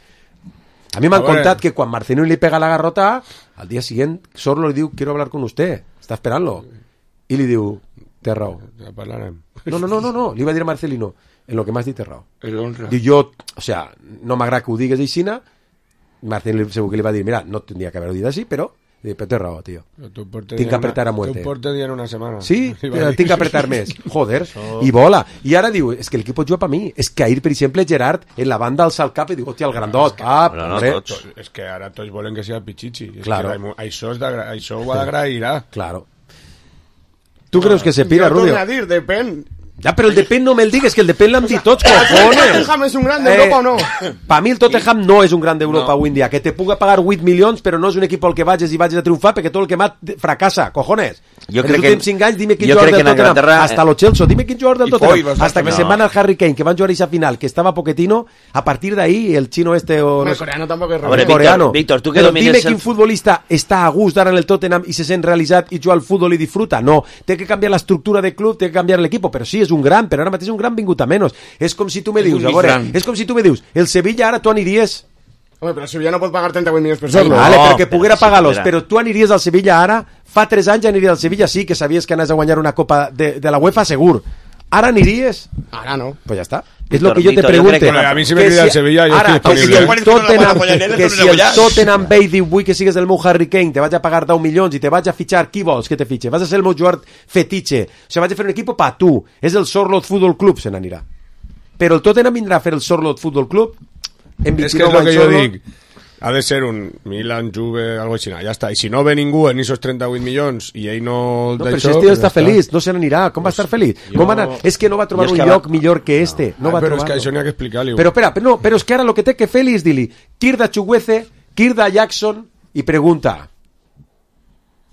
[SPEAKER 4] A mi m'han contat que quan Marcelino li pega la garrota, al dia siguiente Sorlo li diu, quiero hablar con usted, està esperant-lo, i li diu, té raó.
[SPEAKER 6] Ja parlarem.
[SPEAKER 4] No, no, no, no, no, li va dir a Marcelino, en lo que m'has dit té raó. Diu, jo, o sea, no m'agrada que ho digues aixina. Marcelino segur que li va dir, mira, no tendria que haver-ho dit així, però però té raó, tio. Tinc que apretar a muerte.
[SPEAKER 6] Tu portes dient una setmana.
[SPEAKER 4] Sí, tinc que apretar més. Joder, i vola. I ara diu, és que l'equip juga per mi. És que ahir, per exemple, Gerard, en la banda alça el cap i diu, hòstia, el grandot. Ah,
[SPEAKER 5] no, no,
[SPEAKER 6] és que ara tots volen que sigui Pichichi.
[SPEAKER 4] Claro.
[SPEAKER 6] Això, això ho agrairà.
[SPEAKER 4] Claro. Tu creus que se pira, Rubio?
[SPEAKER 9] Jo torno a dir, depèn.
[SPEAKER 4] Ja, però el depèn no me'l digues, que el depèn l'hem dit tots, cojones.
[SPEAKER 9] ¿El Tottenham és un gran d'Europa eh, o no?
[SPEAKER 4] Per mi el Tottenham no és un gran d'Europa no. Avui en dia, que te puga pagar vuit milions, però no és un equip al que vagis i vagis a triomfar, perquè tot el que m'ha fracassa, cojones.
[SPEAKER 5] Jo
[SPEAKER 4] en els últims cinc anys, dime quin
[SPEAKER 5] jugador
[SPEAKER 4] del Tottenham,
[SPEAKER 5] Anglaterra...
[SPEAKER 4] hasta lo Chelsea, dime quin jugador del Tottenham, hasta que
[SPEAKER 5] no.
[SPEAKER 4] se van al Harry Kane, que van jugar a esa final, que estaba Pochettino, a partir de ahí, el chino este o...
[SPEAKER 9] El coreano tampoco es
[SPEAKER 5] Veure,
[SPEAKER 4] coreano.
[SPEAKER 5] Víctor, tu que
[SPEAKER 4] però
[SPEAKER 5] domines...
[SPEAKER 4] dime quin futbolista està a gust d'ara en el Tottenham i se sent realitzat i juga al futbol i disfruta. No, té que canviar l'estructura del club, té que canviar l'equip, però sí, és un gran, però ara mateix és un gran vingut a menys. És com si tu me dius, a veure, és com si tu me dius, el Sevilla ara tu aniries...
[SPEAKER 9] Home, però el Sevilla no pot pagar trenta-vuit milions per Sorlo.
[SPEAKER 4] Vale, però que poguera pagar-los, però tu aniries al Sevilla ara, fa tres anys aniries al Sevilla, sí, que sabies que anaves a guanyar una copa de, de la UEFA, segur. Ara aniries?
[SPEAKER 9] Ara no.
[SPEAKER 4] Pues ja està. És lo que jo te pregunte.
[SPEAKER 6] Que a mi si me crida el Sevilla, jo
[SPEAKER 4] ara,
[SPEAKER 6] estic
[SPEAKER 4] disponible. Que si el Tottenham, que si el Tottenham ve i diu, vull que sigues el meu Harry Kane, te vaig a pagar deu milions i te vaig a fitxar, qui vols que te fitxe? Vas a ser el meu jugador fetitxe. O sigui, vaig a fer un equip pa tu. És el Sorlot Football Club, se n'anirà. Però el Tottenham vindrà a fer el Sorlot Football Club en
[SPEAKER 6] vint-i-nou anys. És que és el que jo dic. Ha de ser un Milan, Juve, algo així, ja està. I si no ve ningú en esos trenta-vuit milions i ell no...
[SPEAKER 4] No, però si este està feliç, no se n'anirà. Com va estar feliç? Jo... Com va anar? És que no va trobar un lloc millor que este. No va
[SPEAKER 6] però és que això n'hi ha que explicar-li.
[SPEAKER 4] Però espera, però, no, però és que ara lo que té que fer és dir-li Kirda Chuguece, Kirda Jackson i pregunta...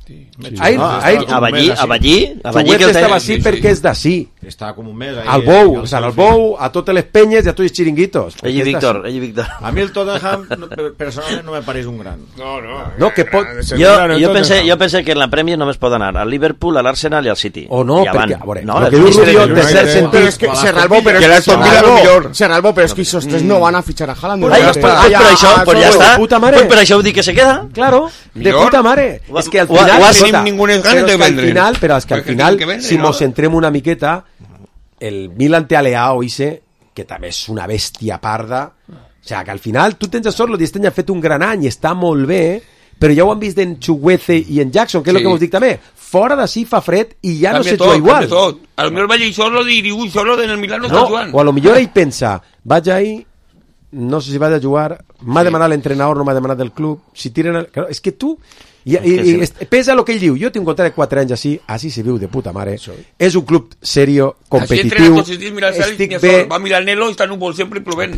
[SPEAKER 5] Sí. Ahí, no, ahí, a Ballí, a Ballí, a Ballí
[SPEAKER 4] que estava així sí, sí. perquè és d'ací.
[SPEAKER 7] Estava com un mes ahí.
[SPEAKER 4] Al Bou, o sea, al Bou, a totes les penyes i a tots els xiringuitos.
[SPEAKER 5] Ell i Víctor, ell i Víctor.
[SPEAKER 7] A mi el Tottenham personalment no me pareix un gran.
[SPEAKER 6] No, no.
[SPEAKER 4] No, que pot...
[SPEAKER 5] Jo, jo, pensé, jo pensé que en la Premier només pot anar al Liverpool, a l'Arsenal i al City.
[SPEAKER 4] O no, perquè...
[SPEAKER 5] A veure,
[SPEAKER 4] no, el que diu Rubio de ser sentit...
[SPEAKER 9] Però és que Serralbo, però és que Serralbo, Serralbo, però és que esos tres no van a fichar a Haaland.
[SPEAKER 5] Pues per això, pues ja està. Pues per això ho dic que se queda.
[SPEAKER 4] Claro, de puta mare. És que al final...
[SPEAKER 8] O tenim ningunes ganes de vendre.
[SPEAKER 4] Final, però és que al final, si mos centrem una miqueta, el Milan té a Leao, Ise, que també és una bèstia parda. O sigui, que al final tu tens a Sorlo i este any ha fet un gran any, està molt bé, però ja ho han vist en Chuguece i en Jackson, que és el que vos dic també. fora d'ací fa fred i ja no
[SPEAKER 8] Canvia
[SPEAKER 4] se
[SPEAKER 8] tot,
[SPEAKER 4] juga igual.
[SPEAKER 8] canvia tot. A lo millor vaig ahí solo i diu, ui, solo en el Milán no,
[SPEAKER 4] No,
[SPEAKER 8] està jugant.
[SPEAKER 4] o a lo millor ell pensa, vaig ahí, no sé si vaig a jugar, m'ha demanat l'entrenador, no m'ha demanat del club, si tiren... El... Claro, és que tu... I, i, i, i pesa el que ell diu, jo tinc un contracte de quatre anys així, així se viu de puta mare, és un club serio, competitiu, estic bé...
[SPEAKER 8] Va a Milanelo i està núvol sempre plovent.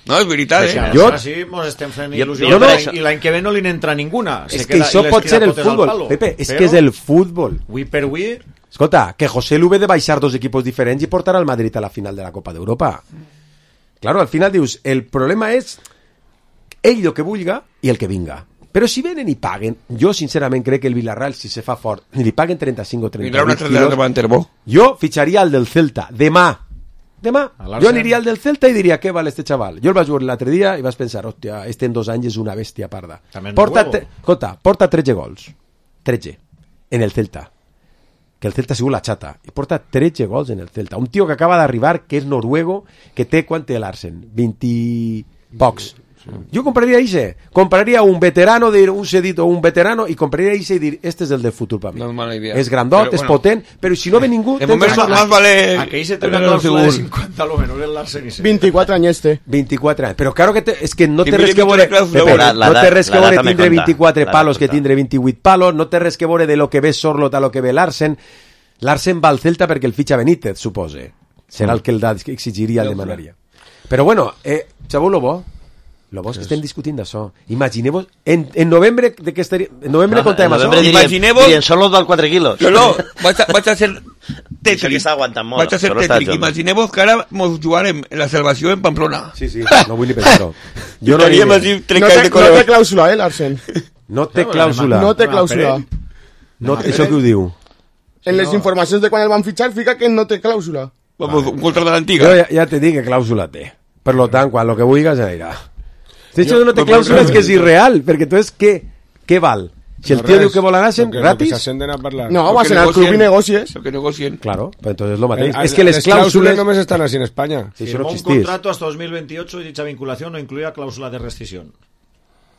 [SPEAKER 8] No, és veritat, eh?
[SPEAKER 7] Jo... Així mos estem fent il·lusió jo, jo no... i l'any que ve no li n'entra ninguna.
[SPEAKER 4] És que això pot ser el futbol, Pepe, és que és el futbol.
[SPEAKER 7] Avui per avui...
[SPEAKER 4] Escolta, que José Lu ve de baixar dos equipos diferents i portarà el Madrid a la final de la Copa d'Europa. Claro, al final dius, el problema és ell el que vulga i el que vinga. Però si venen i paguen, jo sincerament crec que el Villarreal, si se fa fort, ni li paguen trenta-cinc o trenta-vuit quilos, jo fitxaria el del Celta, demà. Demà. Jo aniria al del Celta i diria, què val este xaval? Jo el vaig veure l'altre dia i vas pensar, hòstia, este en dos anys és una bèstia parda. Porta, tre... Escolta, porta tretze gols. tretze. En el Celta. Que el Celta ha sigut la xata. I porta tretze gols en el Celta. Un tio que acaba d'arribar, que és noruego, que té, quant té l'Arsen? vint pocs. Jo compraria ese, compraria un veterano, de un cedito, un veterano, y compraria ese y dir, este es el del futuro para mí.
[SPEAKER 8] No es mala idea.
[SPEAKER 4] Es grandot,
[SPEAKER 8] pero,
[SPEAKER 4] es
[SPEAKER 8] bueno,
[SPEAKER 4] potent, pero si no ve ningú...
[SPEAKER 8] De moment más, más vale...
[SPEAKER 7] Aquell se té una clàusula de cinquanta, lo menos el Larsen.
[SPEAKER 9] vint-i-quatre anys este.
[SPEAKER 4] vint-i-quatre anys. Però claro que te, és que no té res que veure... No té res que veure tindre vint-i-quatre palos que tindre vint-i-vuit palos, no té res que veure de lo que ve Sorlot a lo que ve Larsen. Larsen va al Celta perquè el fitxa Benítez, supose. Serà el que el da, que exigiria, el demanaria. Però bueno, eh, sabeu lo bo? Lo bo és que estem discutint d'això. Imagineu-vos, en, en novembre de què estaria... En novembre no, contem això.
[SPEAKER 5] Imagineu-vos... I en solo val quatre quilos.
[SPEAKER 8] No, no, vaig a, vaig a ser tètric.
[SPEAKER 5] Això que està aguantant molt.
[SPEAKER 8] Vaig a ser tètric. Imagineu-vos que ara mos jugarem en la salvació en Pamplona.
[SPEAKER 4] Sí, sí, no vull ni pensar-ho. Jo no,
[SPEAKER 9] no, té, no té clàusula, eh, Larsen?
[SPEAKER 4] No té clàusula.
[SPEAKER 9] No té clàusula.
[SPEAKER 4] No, això que ho diu?
[SPEAKER 9] En les informacions de quan el van fitxar fica que no té clàusula.
[SPEAKER 8] Vamos, un contrato de l'antiga.
[SPEAKER 4] Jo ja, ja te dic que clàusula té. Per lo tant, quan lo que vulguis anirà. Si això no té clàusula és que és irreal, perquè tu és què? Què val? Si el tío diu que vol anar-se'n gratis...
[SPEAKER 9] No, vas anar al club i negocies.
[SPEAKER 8] Lo que negocien.
[SPEAKER 4] Claro, pues entonces lo mateix. Es que les clàusules
[SPEAKER 6] només estan així en Espanya.
[SPEAKER 7] Si no un contrato hasta dos mil veintiocho y dicha vinculación no incluía cláusula de rescisión.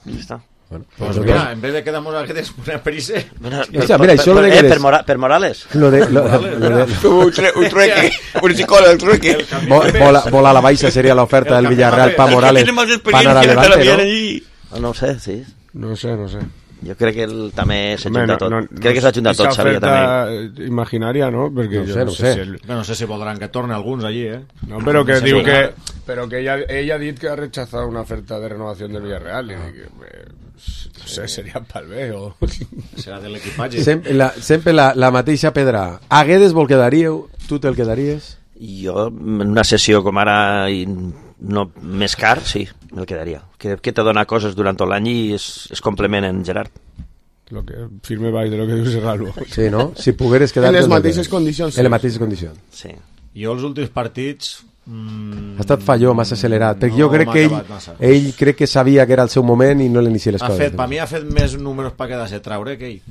[SPEAKER 5] Ya está.
[SPEAKER 7] Bueno, pues mira, en vez de quedamos a Guedes poner Perise...
[SPEAKER 4] Mira, mira, això lo de Guedes...
[SPEAKER 5] Per, Mora, per Morales.
[SPEAKER 4] Lo de... Lo, lo de...
[SPEAKER 8] Un, tre, un trueque, un psicólogo, el trueque.
[SPEAKER 4] Bola, bola a la baixa seria l'oferta del Villarreal pa Morales. Pa anar a Levante,
[SPEAKER 5] no? No ho sé, sí.
[SPEAKER 6] No sé, no sé.
[SPEAKER 5] Jo crec que ell també s'ha juntat tot. No, no, crec que s'ha juntat tot, Xavier, també.
[SPEAKER 6] Imaginària, no? Perquè
[SPEAKER 4] no sé, no sé.
[SPEAKER 7] Si el... no sé si voldran que torne alguns allí, eh?
[SPEAKER 6] No, però que diu que... Però que ella, ella ha dit que ha rechazado una oferta de renovación del Villarreal. I dic, no sé, seria pel bé o...
[SPEAKER 7] Serà de l'equipatge.
[SPEAKER 4] Sempre, la, sempre la, la mateixa pedra. A Guedes vol quedaríeu? Tu te'l quedaries?
[SPEAKER 5] Jo, en una sessió com ara... I... no, més car, sí, me'l quedaria. Que, que te dona coses durant tot l'any i es, es complementen, Gerard.
[SPEAKER 6] Lo que firme baix de lo que diu Serrano.
[SPEAKER 4] Sí, no? Si pogueres quedar...
[SPEAKER 9] En les mateixes condicions.
[SPEAKER 4] En les mateixes condicions.
[SPEAKER 5] Sí.
[SPEAKER 7] Jo els últims partits... Mm,
[SPEAKER 4] ha estat falló, massa accelerat, perquè no, jo crec que ell, ell crec que sabia que era el seu moment i no l'inicia les
[SPEAKER 7] ha
[SPEAKER 4] coses.
[SPEAKER 7] Fet, per mi ha fet més números per quedar-se traure que ell.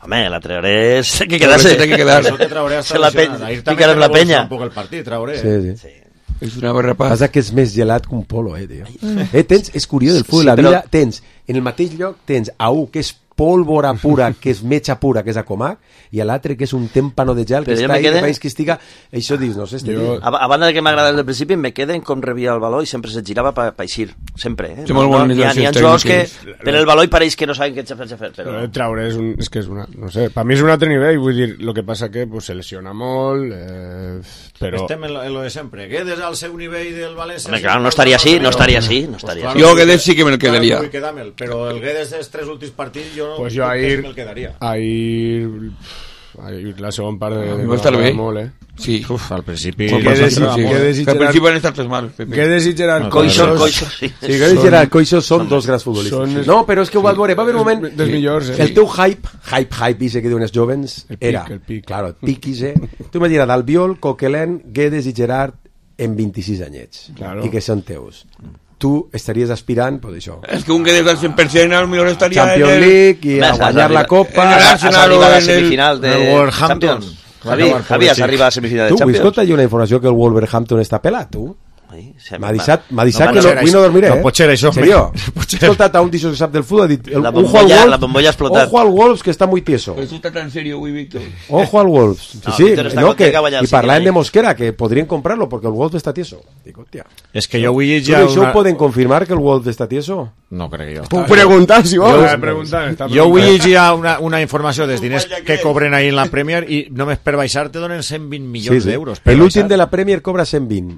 [SPEAKER 5] Home, la trauré és que quedar-se.
[SPEAKER 7] Que quedar-se. Se
[SPEAKER 5] la penya. Picar amb la penya.
[SPEAKER 7] Un poc el partit, trauré.
[SPEAKER 4] Sí, sí.
[SPEAKER 5] sí.
[SPEAKER 8] És una barrapa.
[SPEAKER 4] Passa que és més gelat que un polo, eh, tio. Eh, tens, és curiós, el futbol, sí, la vida, però... tens, en el mateix lloc tens a un que és pólvora pura, que és metxa pura, que és a Comac, i a l'altre que és un témpano de gel, que però està ahí, quede... que estiga... Això dius, no sé, este
[SPEAKER 5] jo... a, a banda de que m'agrada del principi, me queden com rebia el baló i sempre se girava per pa eixir, sempre, eh?
[SPEAKER 8] No, no,
[SPEAKER 5] n'hi ha, ha jugadors que per el baló i pareix que no saben què fer, fer però...
[SPEAKER 6] però traure és, un, és que és una... no sé, per mi és un altre nivell, vull dir, el que passa que pues, se lesiona molt, eh, però...
[SPEAKER 7] Estem en lo, en lo de sempre, Guedes al seu nivell del València...
[SPEAKER 5] Home, clar, no estaria així, no estaria així, no estaria
[SPEAKER 8] així. Jo Guedes sí que me'l quedaria.
[SPEAKER 7] Però el Guedes dels tres últims partits jo no...
[SPEAKER 6] Pues jo ahir...
[SPEAKER 7] me'l quedaria.
[SPEAKER 6] Ahir... ahir la segona part de...
[SPEAKER 8] Va estar bé.
[SPEAKER 6] Molt, eh?
[SPEAKER 8] Sí.
[SPEAKER 7] Uf, al principi...
[SPEAKER 6] Guedes i
[SPEAKER 8] Gerard... Al principi van estar tres mal, Pepe.
[SPEAKER 6] Guedes i Gerard...
[SPEAKER 5] Coixo, Coixo, sí.
[SPEAKER 4] Sí, Guedes i Gerard Coixo són dos grans futbolistes. No, però és que ho vas veure, va haver un moment...
[SPEAKER 6] Dels millors, eh?
[SPEAKER 4] El teu hype, hype, hype, ise que diuen els jovens, era...
[SPEAKER 6] El pic,
[SPEAKER 4] claro, el pic, ise... Tu imagina't, Albiol, Coquelin, Guedes i Gerard en vint-i-sis anyets.
[SPEAKER 6] Claro.
[SPEAKER 4] I que són teus. Tu estaries aspirant, pues això.
[SPEAKER 8] És que un Guedes al cent per cent al millor estaria
[SPEAKER 4] Champions
[SPEAKER 8] en el...
[SPEAKER 4] League i a guanyar la Copa.
[SPEAKER 5] Has arribat a la semifinal de
[SPEAKER 7] Wolverhampton.
[SPEAKER 5] Javi, Javi, has arribat a la semifinal de
[SPEAKER 4] tu,
[SPEAKER 5] Champions.
[SPEAKER 4] Tu, escolta, hi ha una informació que el Wolverhampton està pelat, tu? M'ha deixat, m'ha deixat no, que no, avui no dormiré,
[SPEAKER 7] no,
[SPEAKER 4] eh?
[SPEAKER 7] No pot ser això.
[SPEAKER 4] Serio? He escoltat a un d'això que sap del futbol, ha dit... El,
[SPEAKER 5] la bombolla,
[SPEAKER 4] Wolves,
[SPEAKER 5] la bombolla ha explotat.
[SPEAKER 4] Ojo al Wolves, que està muy tieso.
[SPEAKER 8] Eso está tan serio, güey, Víctor.
[SPEAKER 4] Ojo al Wolves. Sí,
[SPEAKER 5] no,
[SPEAKER 4] sí, no, que,
[SPEAKER 5] i
[SPEAKER 4] parlaven de Mosquera, que podrien comprarlo, porque el Wolves està tieso. Dic, hòstia.
[SPEAKER 7] És que jo vull llegir
[SPEAKER 4] una... ¿Això
[SPEAKER 7] una...
[SPEAKER 4] poden confirmar que el Wolves està tieso?
[SPEAKER 7] No crec jo.
[SPEAKER 9] Puc preguntar, si vols.
[SPEAKER 6] Jo, preguntar,
[SPEAKER 7] jo vull llegir una, una informació dels diners que cobren ahir en la Premier i només per baixar te donen cent vint milions sí, sí. d'euros.
[SPEAKER 4] L'últim de la Premier cobra cent vint.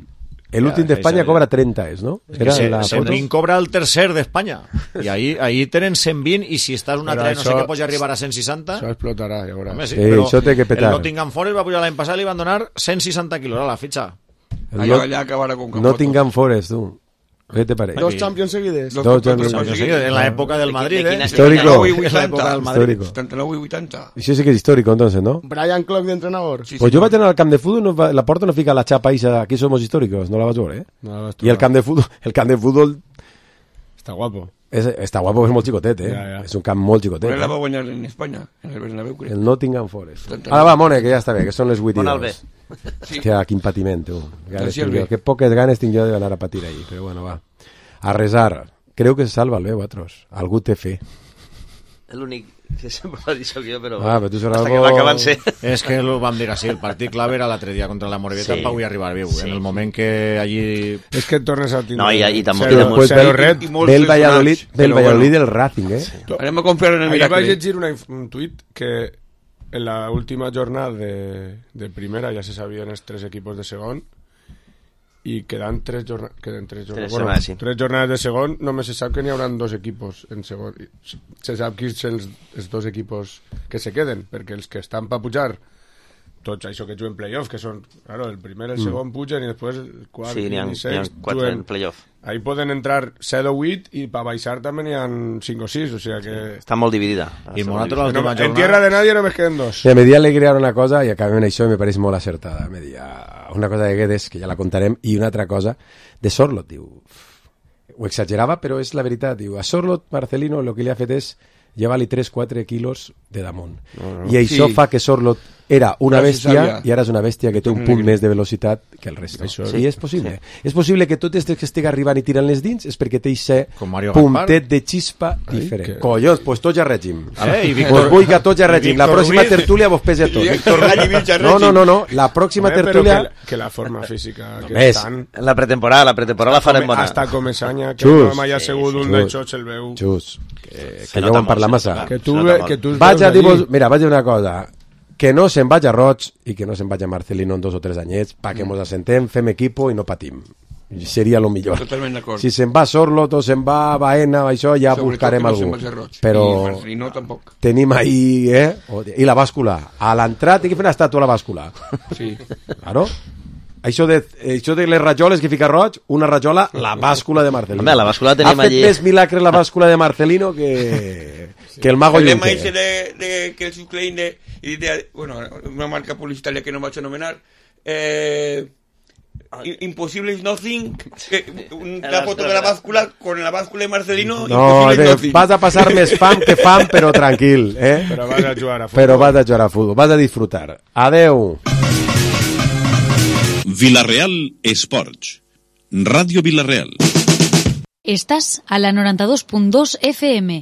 [SPEAKER 4] L'últim d'Espanya cobra trenta, és, no?
[SPEAKER 7] Era que la cent vint cobra el tercer d'Espanya. I ahir, ahir tenen cent vint i si estàs una tren no sé què pots arribar a cent seixanta...
[SPEAKER 6] Això explotarà, ja veuràs.
[SPEAKER 7] Home, sí,
[SPEAKER 4] sí,
[SPEAKER 7] però
[SPEAKER 4] això té que petar.
[SPEAKER 7] El Nottingham Forest va pujar l'any passat i li van donar cent seixanta quilos a la fitxa.
[SPEAKER 8] Allà, allà acabarà con
[SPEAKER 4] Nottingham Forest, tu. ¿Qué te parece?
[SPEAKER 9] Dos Champions seguides.
[SPEAKER 4] Dos, Dos Champions
[SPEAKER 7] seguides. En la época del Madrid, ¿eh?
[SPEAKER 4] Histórico.
[SPEAKER 8] En
[SPEAKER 7] la época del Madrid.
[SPEAKER 8] setanta nou i vuitanta.
[SPEAKER 4] Això sí que és histórico, entonces, ¿no?
[SPEAKER 9] Brian Clough de entrenador.
[SPEAKER 4] Sí, pues sí, yo voy a tener al camp de fútbol, no va, la porta no fica la chapa esa, aquí somos históricos, no la vas a ver, ¿eh?
[SPEAKER 6] No,
[SPEAKER 4] y el camp de fútbol, el camp de fútbol...
[SPEAKER 6] Está guapo.
[SPEAKER 4] Es, está guapo, es molt xicotet, eh?
[SPEAKER 6] Ja, ja.
[SPEAKER 4] És un camp molt xicotet.
[SPEAKER 8] Però la va guanyar en Espanya, en el Bernabéu, crec.
[SPEAKER 4] El Nottingham Forest. Ara va, Mone, que ja està bé, que són les vuit i dos.
[SPEAKER 5] Sí.
[SPEAKER 4] Hòstia, quin patiment, tu. Que poques ganes tinc jo d'anar a patir ahí, però bueno, va. A resar. Creu que se salva el bé, vosaltres. Algú té fe.
[SPEAKER 5] L'únic que sempre ho ha dit jo, però...
[SPEAKER 4] Ah, però tu seràs
[SPEAKER 5] hasta que va acabar ser...
[SPEAKER 7] És que ho vam dir així, el partit clave era l'altre dia contra la Morevieta sí. per avui arribar viu. Sí. En el moment que allí...
[SPEAKER 6] És que tornes a tindre...
[SPEAKER 5] No, i, i també...
[SPEAKER 6] Zero,
[SPEAKER 4] pues
[SPEAKER 6] zero red.
[SPEAKER 4] Ve el Valladolid, ve el Valladolid del Racing, eh?
[SPEAKER 6] Sí.
[SPEAKER 8] Anem a confiar en el
[SPEAKER 6] Ahí
[SPEAKER 8] miracle.
[SPEAKER 6] vaig llegir una, un tuit que en la última jornada de, de primera ja se sabien els tres equipos de segon i quedan tres, jorna queden tres, jornades,
[SPEAKER 5] tres,
[SPEAKER 6] bueno,
[SPEAKER 5] setmanes, sí.
[SPEAKER 6] tres jornades de segon, només se sap que n'hi haurà dos equipos en segon. Se sap quins són els, els dos equipos que se queden, perquè els que estan per pujar, tots això que juguen playoff, que són, claro, el primer i el segon pugen i després el quart
[SPEAKER 5] sí,
[SPEAKER 6] i el seis
[SPEAKER 5] quatre
[SPEAKER 6] juguen.
[SPEAKER 5] en playoff.
[SPEAKER 6] Ahí poden entrar set o vuit i per baixar també n'hi ha cinc o sis, o sigui que...
[SPEAKER 5] Està molt dividida.
[SPEAKER 7] I nosaltres l'última
[SPEAKER 6] no,
[SPEAKER 7] jornada...
[SPEAKER 6] En tierra de nadie només queden dos.
[SPEAKER 4] Sí, me di alegría una cosa i acabem en això i me pareix molt acertada. Me di una cosa de Guedes, que ja la contarem, i una altra cosa de Sorlot, diu... Ho exagerava, però és la veritat, diu. A Sorlot, Marcelino, el que li ha fet és llevar-li tres quatre quilos de damunt. No, no. I això sí. fa que Sorlot era una bèstia i ara és una bèstia que té un punt més de velocitat que el resto.
[SPEAKER 6] Això,
[SPEAKER 4] sí, és possible. Sí. És possible que tot este que estigui arribant i tirant les dins és perquè té aquest puntet de xispa Ai, diferent. Que... Collons, pues tots a règim. Eh, i Víctor... Pues vull que tots a règim. La pròxima Ruiz... tertúlia vos pese a tots.
[SPEAKER 8] Víctor Ruiz a
[SPEAKER 4] no, no, no, no. La pròxima
[SPEAKER 6] Home,
[SPEAKER 4] tertúlia...
[SPEAKER 6] Que, que la forma física que
[SPEAKER 4] Més.
[SPEAKER 6] estan...
[SPEAKER 5] La pretemporada, la pretemporada la farem bona.
[SPEAKER 6] Hasta Comesanya, que
[SPEAKER 4] Xus.
[SPEAKER 6] no m'hagi assegut un d'aixòs el veu...
[SPEAKER 4] Xus, que, que no vam parlar massa.
[SPEAKER 6] Que tu, que tu
[SPEAKER 4] vaig a dir-vos... Mira, vaig a dir una cosa. Que no se'n vaig a Roig i que no se'n vaig a Marcelino en dos o tres anyets perquè mm. mos assentem, fem equipo i no patim. Seria lo millor.
[SPEAKER 8] Totalment d'acord.
[SPEAKER 4] Si se'n va Sorlot o se'n va Baena, això ja
[SPEAKER 8] Sobretot
[SPEAKER 4] buscarem
[SPEAKER 8] no
[SPEAKER 4] algú. Però
[SPEAKER 8] I Marcelino tampoc.
[SPEAKER 4] Tenim ahí, eh? I la bàscula. A l'entrada tinc que fer una estàtua a la bàscula.
[SPEAKER 8] Sí.
[SPEAKER 4] Claro. Això de, això de les rajoles que fica Roig, una rajola, la bàscula de Marcelino.
[SPEAKER 5] Home, la bàscula tenim
[SPEAKER 4] ha fet
[SPEAKER 5] allí...
[SPEAKER 4] més milagre la bàscula de Marcelino que, sí. que el mago
[SPEAKER 8] Juncker. El
[SPEAKER 4] Juncker.
[SPEAKER 8] lema ese de, de que el subclaim de, de, bueno, una marca publicitaria que no vaig a anomenar, eh, Impossible is nothing, que, una foto de la bàscula con la bàscula de Marcelino.
[SPEAKER 4] No, de, vas a passar més fam que fam, però tranquil, eh?
[SPEAKER 6] Però vas a jugar a futbol.
[SPEAKER 4] Però vas a jugar a futbol, vas a disfrutar. Adeu.
[SPEAKER 3] Villarreal Esports. Radio Villarreal.
[SPEAKER 19] Estás a la noranta dos punt dos F M,